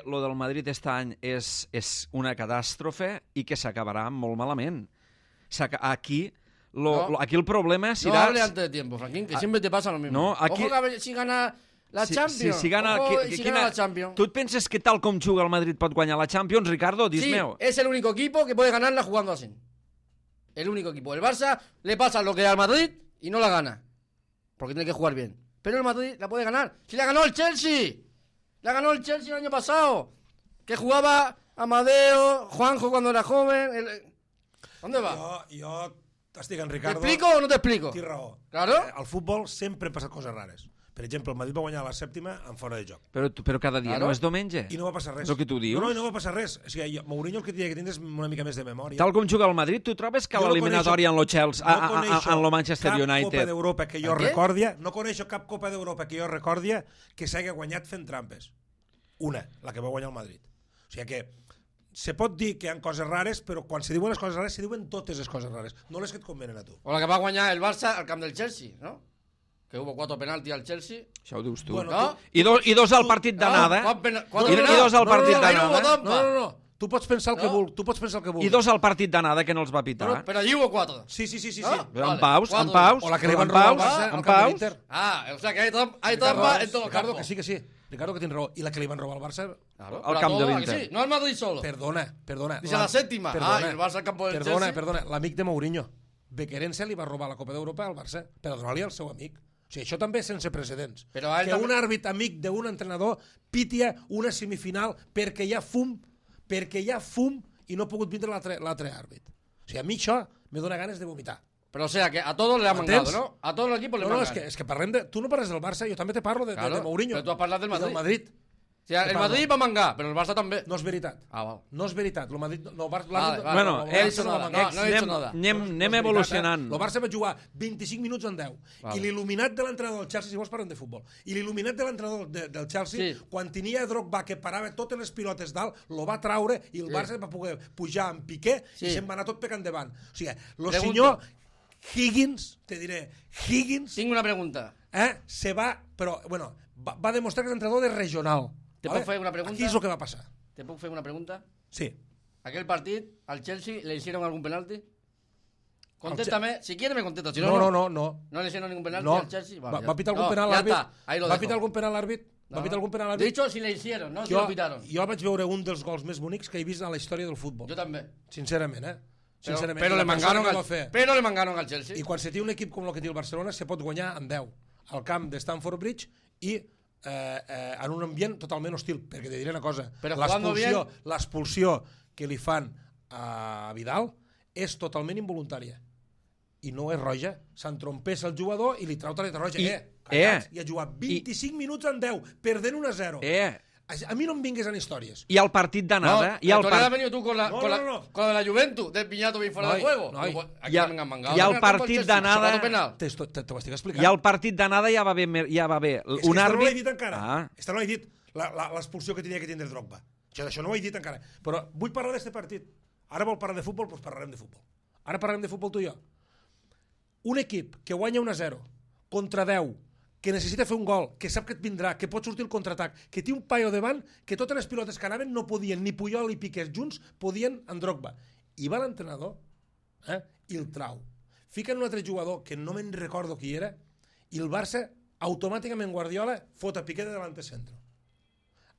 Speaker 1: lo del Madrid aquest any és una catàstrofe i que s'acabarà molt malament. Aquí el problema será...
Speaker 2: No hable antes de tiempo, Franquín, que siempre te pasa lo mismo.
Speaker 1: No, aquí...
Speaker 2: Ojo que si gana la Champions.
Speaker 1: Si gana la
Speaker 2: Champions.
Speaker 1: ¿Tú piensas que tal com juga el Madrid pot guanyar la Champions, Ricardo?
Speaker 2: Sí, es el único equipo que puede ganarla jugando así. El único equipo. El Barça le pasa lo que al Madrid y no la gana. Porque tiene que jugar bien. Pero el Madrid la puede ganar. ¡Si la ganó el Chelsea! La ganó el Chelsea el año pasado. Que jugaba Amadeo, Juanjo cuando era joven. ¿Dónde va?
Speaker 4: Jo estic en Ricardo...
Speaker 2: ¿Te explico o no te explico?
Speaker 4: Té raó.
Speaker 2: Claro.
Speaker 4: Al futbol sempre passen coses rares. Per exemple, el Madrid va guanyar la 7ª en fora de joc.
Speaker 1: Però cada dia no és diumenge.
Speaker 4: I no va passar res.
Speaker 1: És el que tu dius?
Speaker 4: No va passar res. O sigui, Mourinho el que tenia que tindre és una mica més de memòria.
Speaker 1: Tal com juga el Madrid, tu trobes que l'eliminatòria en lo Chelsea, en lo Manchester United...
Speaker 4: Cap Copa d'Europa que jo recordia, no coneixo cap Copa d'Europa que jo recordia que s'hagi guanyat fent trampes. Una, la que va guanyar el Madrid. O sigui que se pot dir que hi ha coses rares, però quan se diuen les coses rares, se diuen totes les coses rares, no les que et convenen a tu.
Speaker 2: O la que va guanyar el Barça al camp del Chelsea, ¿no? Que hubo 4 penaltis al Chelsea.
Speaker 1: Això ho dius tu.
Speaker 2: Bueno, ¿no?
Speaker 1: I dos al partit d'anada.
Speaker 2: I
Speaker 1: dos al partit d'anada.
Speaker 4: No. Tu pots pensar el que vulguis.
Speaker 1: I dos al partit d'anada que no els va pitar.
Speaker 2: Però allí hubo 4.
Speaker 4: Sí.
Speaker 1: En paus.
Speaker 4: O la que li van robar al Barça al camp de l'Inter.
Speaker 2: O sea que hay trampa en todo
Speaker 4: Ricardo,
Speaker 2: campo.
Speaker 4: que sí. Ricardo, que tens raó. I la que li van robar al Barça...
Speaker 1: Al camp de l'Inter.
Speaker 2: No al Madrid solo.
Speaker 4: Perdona.
Speaker 2: Dice la 7ª. Y el Barça al campo del Chelsea.
Speaker 4: Perdona. L'amic de Mourinho. Bequerense li va robar la Copa d'Europa al Barça per donar-li al seu amic. O sigui, això també és sense precedents.
Speaker 2: Però a ell
Speaker 4: que
Speaker 2: també-
Speaker 4: un àrbit amic d'un entrenador pitia una semifinal perquè hi ha fum i no ha pogut vindre l'altre àrbit. O sigui, a mi això me dona ganes de vomitar.
Speaker 2: Pero o sea, que a todos le ha mangado,
Speaker 4: ¿Entens?
Speaker 2: ¿no? A todos los equipos le
Speaker 4: No, no,
Speaker 2: mangan.
Speaker 4: és que parlem de... Tu no parles del Barça, jo també te parlo de Mourinho.
Speaker 2: Però tu has parlat del
Speaker 4: I del
Speaker 2: Madrid.
Speaker 4: Madrid.
Speaker 2: O sea, el Madrid va a mangar, pero el Barça també.
Speaker 4: No és veritat.
Speaker 2: Ah, val.
Speaker 4: No és veritat. El Madrid... No,
Speaker 2: Vale,
Speaker 1: Bueno,
Speaker 2: no he dicho
Speaker 4: va
Speaker 2: nada.
Speaker 4: mangar.
Speaker 2: No he dicho nada.
Speaker 1: Anem evolucionant.
Speaker 4: El Barça va jugar 25 minuts en 10.
Speaker 2: Vale.
Speaker 4: I l'il·luminat de l'entrenador del Chelsea, si vols parlem de futbol, i l'il·luminat de l'entrenador del Chelsea,
Speaker 2: Sí.
Speaker 4: quan tenia Drogba que parava totes les pilotes dalt, lo va traure i el Barça va poder pujar en Piqué
Speaker 2: Sí.
Speaker 4: i se'n va anar tot pecant endavant. O sigui, el
Speaker 2: Pregunto.
Speaker 4: senyor Higgins, te diré, Higgins,
Speaker 2: Tengo una pregunta.
Speaker 4: se va, però, bueno, va demostrar que és entrenador de regional.
Speaker 2: Te puedo hacer una pregunta?
Speaker 4: Aquí és el que va passar.
Speaker 2: ¿Te puedo hacer una pregunta?
Speaker 4: Sí.
Speaker 2: ¿Aquel partido al Chelsea le hicieron algún penalti? Contéstame, si quieres me contestas, si no,
Speaker 4: No.
Speaker 2: ¿No le hicieron ningún penalti
Speaker 4: No.
Speaker 2: al Chelsea? Vale,
Speaker 4: Va pitar algun
Speaker 2: no,
Speaker 4: penal
Speaker 2: ya
Speaker 4: l'àrbit?
Speaker 2: está, ahí lo
Speaker 4: Va
Speaker 2: dejo.
Speaker 4: pitar algun penal l'àrbit?
Speaker 2: No,
Speaker 4: Va pitar algun penal
Speaker 2: De
Speaker 4: l'àrbit?
Speaker 2: hecho, si le hicieron, no si lo pitaron.
Speaker 4: Jo vaig veure un dels gols més bonics que he vist a la història del futbol.
Speaker 2: Yo también.
Speaker 4: Sincerament, Sincerament.
Speaker 2: Pero
Speaker 4: I
Speaker 2: le
Speaker 4: la persona
Speaker 2: mangaron
Speaker 4: que
Speaker 2: al,
Speaker 4: ho va fer.
Speaker 2: pero le mangaron al Chelsea.
Speaker 4: I quan se té un equip com el que té el Barcelona se pot guanyar en 10 al camp de Stamford Bridge i en un ambient totalment hostil, perquè te diré una cosa,
Speaker 2: Però jugando
Speaker 4: l'expulsió que li fan a Vidal és totalment involuntària i no és roja, s'entrompessa el jugador i li trau targeta roja. Callats, i ha jugat 25 minuts en 10 perdent 1-0. A mi no em vingues en històries.
Speaker 1: I el partit d'anada...
Speaker 2: No, todavía has venido tú con la,
Speaker 4: No,
Speaker 2: con,
Speaker 4: no,
Speaker 2: la,
Speaker 4: no.
Speaker 2: con la Juventus del piñato bien fuera de juego.
Speaker 4: No,
Speaker 2: Aquí no me han mangado.
Speaker 1: I el
Speaker 2: Mira,
Speaker 1: partit
Speaker 2: como el Chelsea,
Speaker 1: d'anada-
Speaker 2: sacado penal.
Speaker 4: Te ho estic explicant.
Speaker 1: I al partit d'anada ja va haver
Speaker 4: És que
Speaker 1: un
Speaker 4: esta no l'he
Speaker 1: àrbit...
Speaker 4: dit encara. Esta no l'he dit, l'expulsió que tenia que tindre Drogba. Això no ho he dit encara. Però vull parlar d'aquest partit. Ara vol parlar de futbol, doncs parlarem de futbol. Ara parlarem de futbol tu i jo. Un equip que guanya 1-0 contra 10, que necessita fer un gol, que sap que et vindrà, que pot sortir el contraatac, que té un paio davant, que totes les pilotes que anaven no podien, ni Puyol ni Piqué junts, podien en Drogba. I va l'entrenador i el trau. Fiquen un altre jugador, que no me'n recordo qui era, i el Barça, automàticament Guardiola, fot a Piqué de davant centre.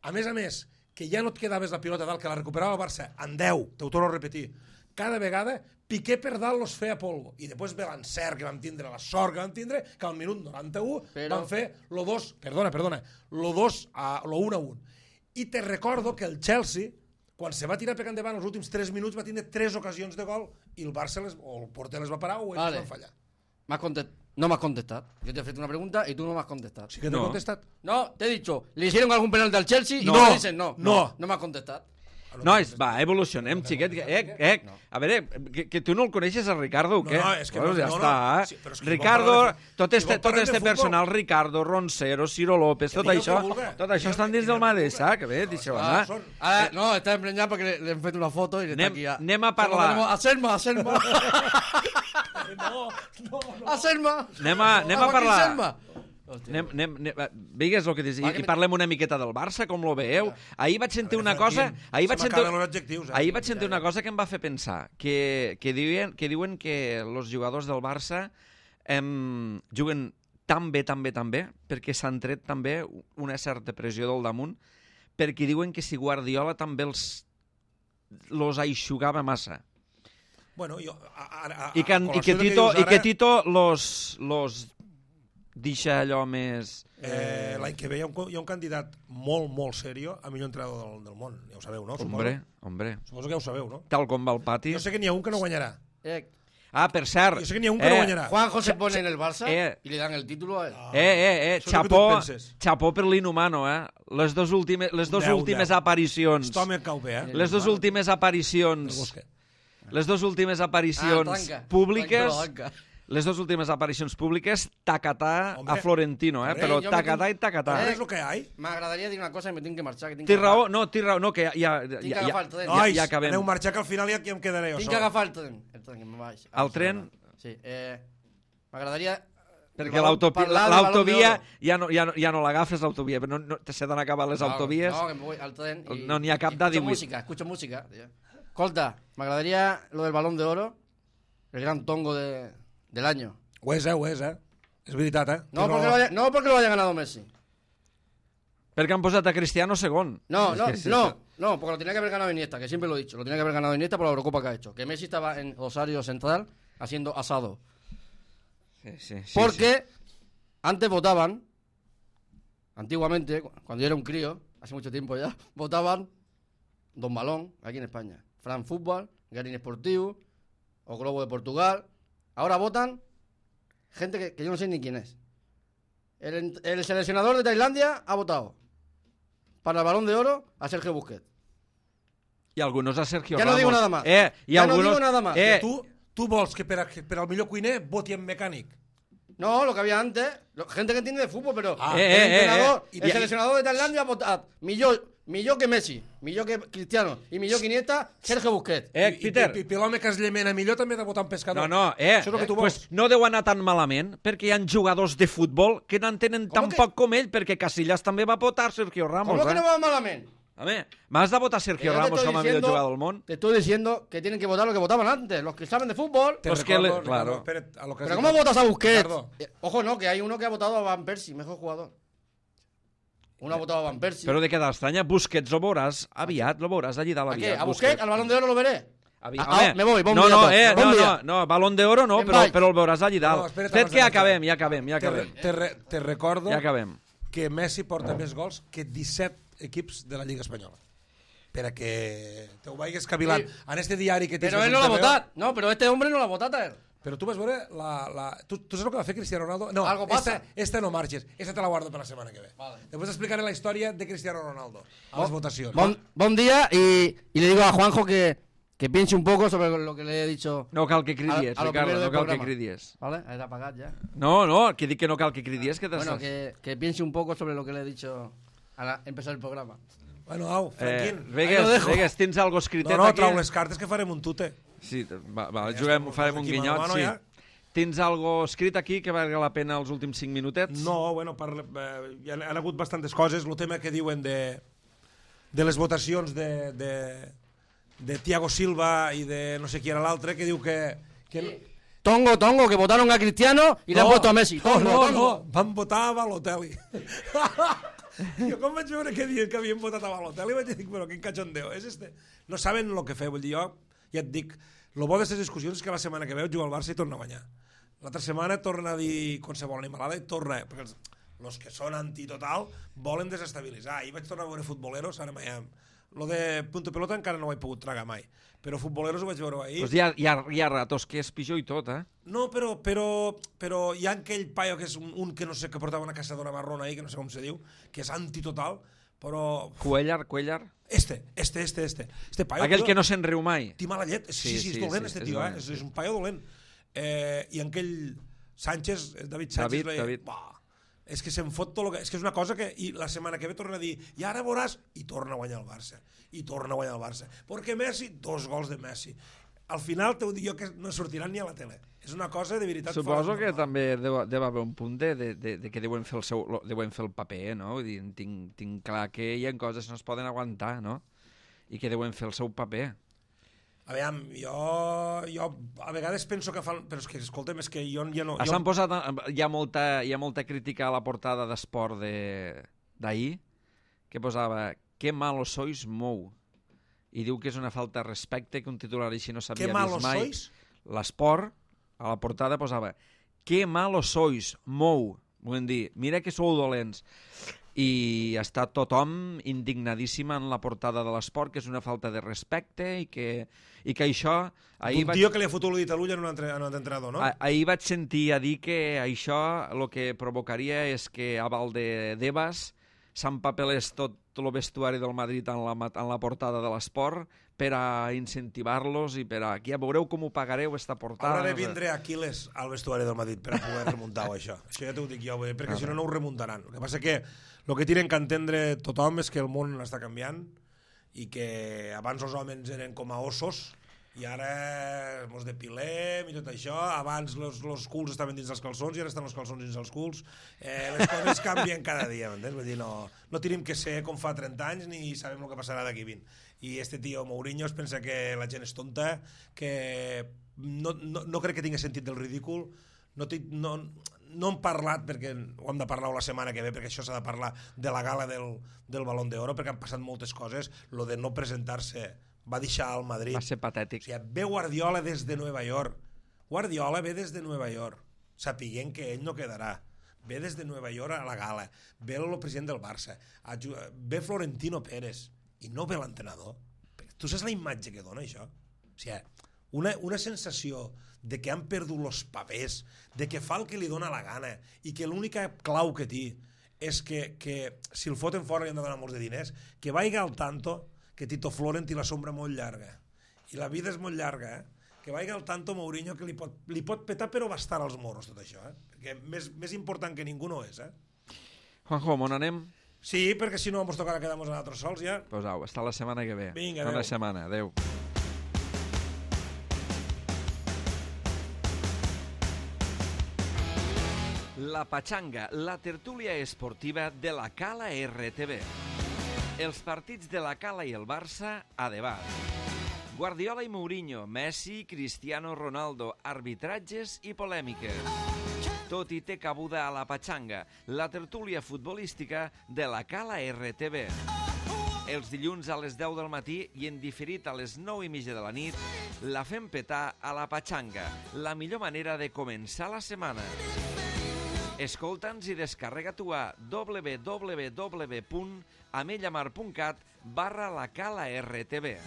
Speaker 4: A més, que ja no et quedaves la pilota dalt, que la recuperava el Barça en 10, t'ho torno a repetir, cada vegada Piqué per dalt los feia polvo. I després ve l'encert que vam tindre, la sort que vam tindre, que al minut 91 van fer lo 1-1. I te recordo que el Chelsea, quan se va tirar pecant endavant els últims 3 minuts, va tindre 3 ocasions de gol i el Barça o el porter les va parar o ells van fallar.
Speaker 2: No me has contestado. Yo te he hecho una pregunta y tú no me has contestado.
Speaker 4: Sí que t'he contestat.
Speaker 2: No, te he dicho, ¿le hicieron algún penalti al Chelsea? Y
Speaker 4: No.
Speaker 2: no me dicen no.
Speaker 4: No.
Speaker 2: No me has contestado.
Speaker 1: Nois, va, evolucionem, xiquet. A veure, que tu no el coneixes, el Ricardo, o què?
Speaker 4: No, és que
Speaker 1: Pues
Speaker 4: no,
Speaker 1: ja
Speaker 4: no,
Speaker 1: està.
Speaker 4: no. Sí, però és que si
Speaker 1: Ricardo,
Speaker 4: vol parlar de-
Speaker 1: tot
Speaker 4: si
Speaker 1: este
Speaker 4: vol parlar de futbol-
Speaker 1: personal, Ricardo, Roncero, Ciro López, tot
Speaker 4: digueu
Speaker 1: això,
Speaker 4: que vulga.
Speaker 1: tot això estan dins del mateix sac. A veure, deixeu anar.
Speaker 2: Ahora, no, está empreñado porque le han hecho una foto y está aquí.
Speaker 1: Anem a parlar.
Speaker 2: A Selma. A Selma.
Speaker 1: Anem a parlar. Vigues el que dius, i parlem una miqueta del Barça, com lo veieu. Ahir vaig sentir una cosa... Ahir vaig sentir una cosa que em va fer pensar, que diuen que els jugadors del Barça juguen tan bé, perquè s'han tret també una certa pressió del damunt, perquè diuen que si Guardiola també els aixugava massa.
Speaker 4: Bueno,
Speaker 1: I que Tito los deixa allò més...
Speaker 4: L'any que ve hi ha un candidat molt serio a millor entrenador del món. Ja ho sabeu, no?
Speaker 1: Hombre.
Speaker 4: Suposo que ja ho sabeu, no?
Speaker 1: Tal com va el pati.
Speaker 4: Jo sé que n'hi ha un que no guanyarà.
Speaker 1: Per cert...
Speaker 4: Jo sé que n'hi ha un que no guanyarà.
Speaker 2: Juanjo se pone en el Barça y le dan el título a él.
Speaker 1: Xapó per l'inhumano, Les dos últimes aparicions...
Speaker 4: Tothom em cau bé,
Speaker 1: Les dos últimes aparicions... Les dues últimes aparicions públiques... Les dues últimes aparicions públiques, tacatà a Florentino, però tacatà i tacatà.
Speaker 4: ¿Sabes lo que hay?
Speaker 2: M'agradaria dir una cosa i me tinc que marxar.
Speaker 1: Té raó, no, que ja
Speaker 4: Nois,
Speaker 1: acabem.
Speaker 4: aneu marxar, que al final ja em quedaré jo
Speaker 2: Tinc que
Speaker 4: sol.
Speaker 2: agafar el tren, que me vaig.
Speaker 1: El tren?
Speaker 2: Sí, m'agradaria...
Speaker 1: Perquè l'autovia ja no l'agafes, l'autovia, però s'ha d'anar a acabar les autovies.
Speaker 2: No, que me voy al tren y...
Speaker 1: No n'hi ha cap de 18.
Speaker 2: Escucho música. Escolta, m'agradaria lo del Balón de Oro, el gran tongo del año.
Speaker 4: Ho és, És veritat,
Speaker 2: No porque lo haya ganado Messi.
Speaker 1: Perquè han posat a Cristiano segon.
Speaker 2: No, porque lo tenía que haber ganado Iniesta, que siempre lo he dicho. Lo tenía que haber ganado Iniesta por la Eurocopa que ha hecho. Que Messi estaba en Rosario Central haciendo asado.
Speaker 1: Sí,
Speaker 2: Porque antes votaban, antiguamente, cuando yo era un crío, hace mucho tiempo ya, votaban Don Balón, aquí en España, Fran Fútbol, Garín Esportivo, o Globo de Portugal. Ahora votan gente que yo no sé ni quién es. El seleccionador de Tailandia ha votado para el Balón de Oro a Sergio Busquets.
Speaker 1: I algunos a Sergio
Speaker 2: Ja
Speaker 1: Ramos.
Speaker 2: no digo nada más.
Speaker 1: I
Speaker 2: Ja
Speaker 1: algunos...
Speaker 2: no digo nada más.
Speaker 4: Tu vols que per al millor cuiner voti en mecànic?
Speaker 2: No, lo que había antes, gente que entiende de fútbol, pero el seleccionador de Tailandia ha votado millor que Messi, millor que Cristiano i millor que Iniesta, Sergio Busquets.
Speaker 1: Peter.
Speaker 4: I l'home que es llemena millor també ha de votar en pescador.
Speaker 1: No,
Speaker 4: Això és el que tu vols.
Speaker 1: pues no deu anar tan malament, perquè hi ha jugadors de futbol que n'entenen tan poc com ell, perquè Casillas també va votar Sergio Ramos.
Speaker 2: ¿Cómo que no va malament?
Speaker 1: Home, m'has de votar Sergio Ramos com a millor jugador del món?
Speaker 2: Te estoy diciendo que tienen que votar lo que votaban antes, los que saben de fútbol.
Speaker 1: Pues que claro.
Speaker 4: Espera't, a lo que has
Speaker 2: Pero
Speaker 4: dit.
Speaker 2: ¿cómo votas a Busquets?
Speaker 4: Ricardo.
Speaker 2: Ojo, no, que hay uno que ha votado a Van Persie, mejor jugador. Uno ha votado a Van Persie.
Speaker 1: Però de què t'estranya? Busquets lo veuràs aviat, lo veuràs allí dalt
Speaker 2: ¿A qué?
Speaker 1: aviat.
Speaker 2: ¿A Busquets? ¿Al Balón de Oro lo veré?
Speaker 1: Home,
Speaker 2: me voy, bon
Speaker 1: no,
Speaker 2: dia
Speaker 1: no,
Speaker 2: a tots. Bon dia.
Speaker 1: no, Balón d'Oro no,
Speaker 2: Me'n
Speaker 1: però
Speaker 2: vaig.
Speaker 1: el veuràs allí dalt.
Speaker 4: No, espera't,
Speaker 1: Fet
Speaker 4: abans
Speaker 1: que
Speaker 4: de
Speaker 1: ja acabem.
Speaker 4: Te recordo
Speaker 1: Ja acabem.
Speaker 4: que Messi porta més gols que 17 equips de la Lliga Espanyola. Per a que te ho vagis cavilant.
Speaker 2: Sí.
Speaker 4: En este diari que tens...
Speaker 2: Pero él no lo ha votado. No, pero este hombre no lo ha votado a él.
Speaker 4: Però tu vas veure tu saps el que va fer Cristiano Ronaldo? No,
Speaker 2: Algo pasa.
Speaker 4: esta no marxes. Esta te la guardo per la setmana que ve.
Speaker 2: Vale.
Speaker 4: Després explicaré la història de Cristiano Ronaldo a les votacions.
Speaker 2: Buen día y le digo a Juanjo que piense un poco sobre lo que le he dicho.
Speaker 1: No cal que cridies,
Speaker 2: a lo
Speaker 1: Ricardo,
Speaker 2: primero
Speaker 1: no
Speaker 2: del
Speaker 1: cal que
Speaker 2: programa.
Speaker 1: cridies.
Speaker 2: ¿Vale? Era apagat ya.
Speaker 1: No, que dic que no cal que cridies, que
Speaker 2: Bueno,
Speaker 1: t'estàs...
Speaker 2: que piense un poco sobre lo que le he dicho al empezar el programa.
Speaker 4: Bueno, au, Franquín.
Speaker 1: Vegas, tens algo escritet
Speaker 4: No,
Speaker 1: aquí?
Speaker 4: trau les cartes que farem un tute.
Speaker 1: Sí, va,
Speaker 4: Ja
Speaker 1: juguem,
Speaker 4: estem
Speaker 1: farem un
Speaker 4: aquí
Speaker 1: guinyot,
Speaker 4: mano a mano,
Speaker 1: sí.
Speaker 4: ja.
Speaker 1: Tens algo escrit aquí que valga la pena els últims 5 minutets?
Speaker 4: No, bueno, hi han hagut bastantes coses. El tema que diuen de les votacions de Thiago Silva i de no sé qui era l'altre, que diu que
Speaker 2: Tongo, que votaron a Cristiano y le han puesto a Messi.
Speaker 4: No, van votar a Balotelli. Jo quan vaig veure que havien votat a Balotelli vaig dir, però quin cachondeo és este? No saben el que fer, vull dir, jo ja et dic, el bo d'aquestes discussions és que la setmana que ve juga al Barça i torna a guanyar. L'altra setmana torna a dir qualsevol animalada i torna, perquè els que són antitotal volen desestabilitzar. Ahir vaig tornar a veure futboleros, ara mai lo de punto pelota encara no ho he pogut tragar mai, però futboleros ho vaig veure ahir.
Speaker 1: Pues hi ha ratos que és pitjor i tot, eh?
Speaker 4: No, però hi ha aquell paio que és un que no sé, que portava una caçadora marrona ahí, que no sé com se diu, que és antitotal, però...
Speaker 1: Cuellar.
Speaker 4: Este paio...
Speaker 1: Aquell que no se'n riu mai.
Speaker 4: Té mala llet. Sí, és dolent, este tio,
Speaker 1: dolent.
Speaker 4: és un paio dolent. I aquell Sánchez, David Sánchez...
Speaker 1: David.
Speaker 4: És que se'n fot tot el que... És que és una cosa que... I la setmana que ve torna a dir i ara veuràs... I torna a guanyar el Barça. Perquè Messi, 2 gols de Messi. Al final t'ho dic jo que no sortiran ni a la tele. És una cosa de veritat...
Speaker 1: Suposo que també deu haver un punt de que deuen fer el paper, no? Vull dir, tinc clar que hi ha coses que no es poden aguantar, no? I que deuen fer el seu paper.
Speaker 4: Aviam, jo a vegades penso que fan... Però és que, escolta'm, és que jo ja no...
Speaker 1: S'han posat... Hi ha molta crítica a la portada d'Esport d'ahir, que posava «Qué malos sois, Mou». I diu que és una falta de respecte, que un titular així no s'havia vist mai.
Speaker 4: Sois?
Speaker 1: L'Esport, a la portada, posava «Qué malos sois, Mou». Vull dir, mira que sou dolents. I està tothom indignadíssima en la portada de l'Esport, que és una falta de respecte i que això...
Speaker 4: Un tio que li ha fotut l'ull a l'ull en un entrenador, no?
Speaker 1: Ahir vaig sentir a dir que això el que provocaria és que a Valdebebas s'empapelés tot el vestuari del Madrid en la portada de l'Esport per a incentivar-los i per a... Ja veureu com ho pagareu, esta portada.
Speaker 4: Haurà de vindre Aquiles al vestuari del Madrid per a poder remuntar-ho, això. Això ja t'ho dic jo, perquè si no, no ho remuntaran. El que passa que el que tenen que entendre tothom és que el món està canviant i que abans els homes eren com a ossos i ara mos depilem i tot això. Abans els culs estaven dins dels calçons i ara estan els calçons dins dels culs. Les coses canvien cada dia, m'entens? Vull dir, no tenim que ser com fa 30 anys ni sabem el que passarà d'aquí 20. I este tio Mourinho es pensa que la gent és tonta, que no crec que tingui sentit del ridícul. No hem parlat, perquè ho hem de parlar la setmana que ve, perquè això s'ha de parlar de la gala del Balón d'Oro, perquè han passat moltes coses. Lo de no presentar-se va deixar al Madrid.
Speaker 1: Va ser patètic.
Speaker 4: O sigui, ve Guardiola des de Nova York Guardiola ve des de Nova York, sapiguent que ell no quedarà. Ve des de Nova York a la gala, ve el president del Barça, ve Florentino Pérez, i no ve l'entrenador. Tu saps la imatge que dona això? O sigui, una sensació de que han perdut els papers, de que fa el que li dona la gana, i que l'única clau que té és que si el foten fora li han de donar molts de diners, que vaiga al tanto que Tito Florent té la sombra molt llarga. I la vida és molt llarga, que vaiga al tanto Mourinho, que li pot petar però bastar als morros tot això, perquè més important que ningú no és.
Speaker 1: Juanjo, on anem?
Speaker 4: Sí, perquè si no ens tocarà quedar-nos a nosaltres sols ja.
Speaker 1: Pues au, hasta la setmana que ve.
Speaker 4: Vinga,
Speaker 1: Bona
Speaker 4: adeu.
Speaker 1: setmana, adeu. La Pachanga, la tertúlia esportiva de la Cala RTV. Els partits de la Cala i el Barça a debat. Guardiola i Mourinho, Messi, Cristiano Ronaldo, arbitratges i polèmiques. Tot i té cabuda a la Pachanga, la tertúlia futbolística de la Cala RTV. Els dilluns a les 10 del matí i en diferit a les 9:30 de la nit, la fem petar a la Pachanga, la millor manera de començar la setmana. Escolta'ns i descarrega-t'ho a www.amellamar.cat/la Cala RTV.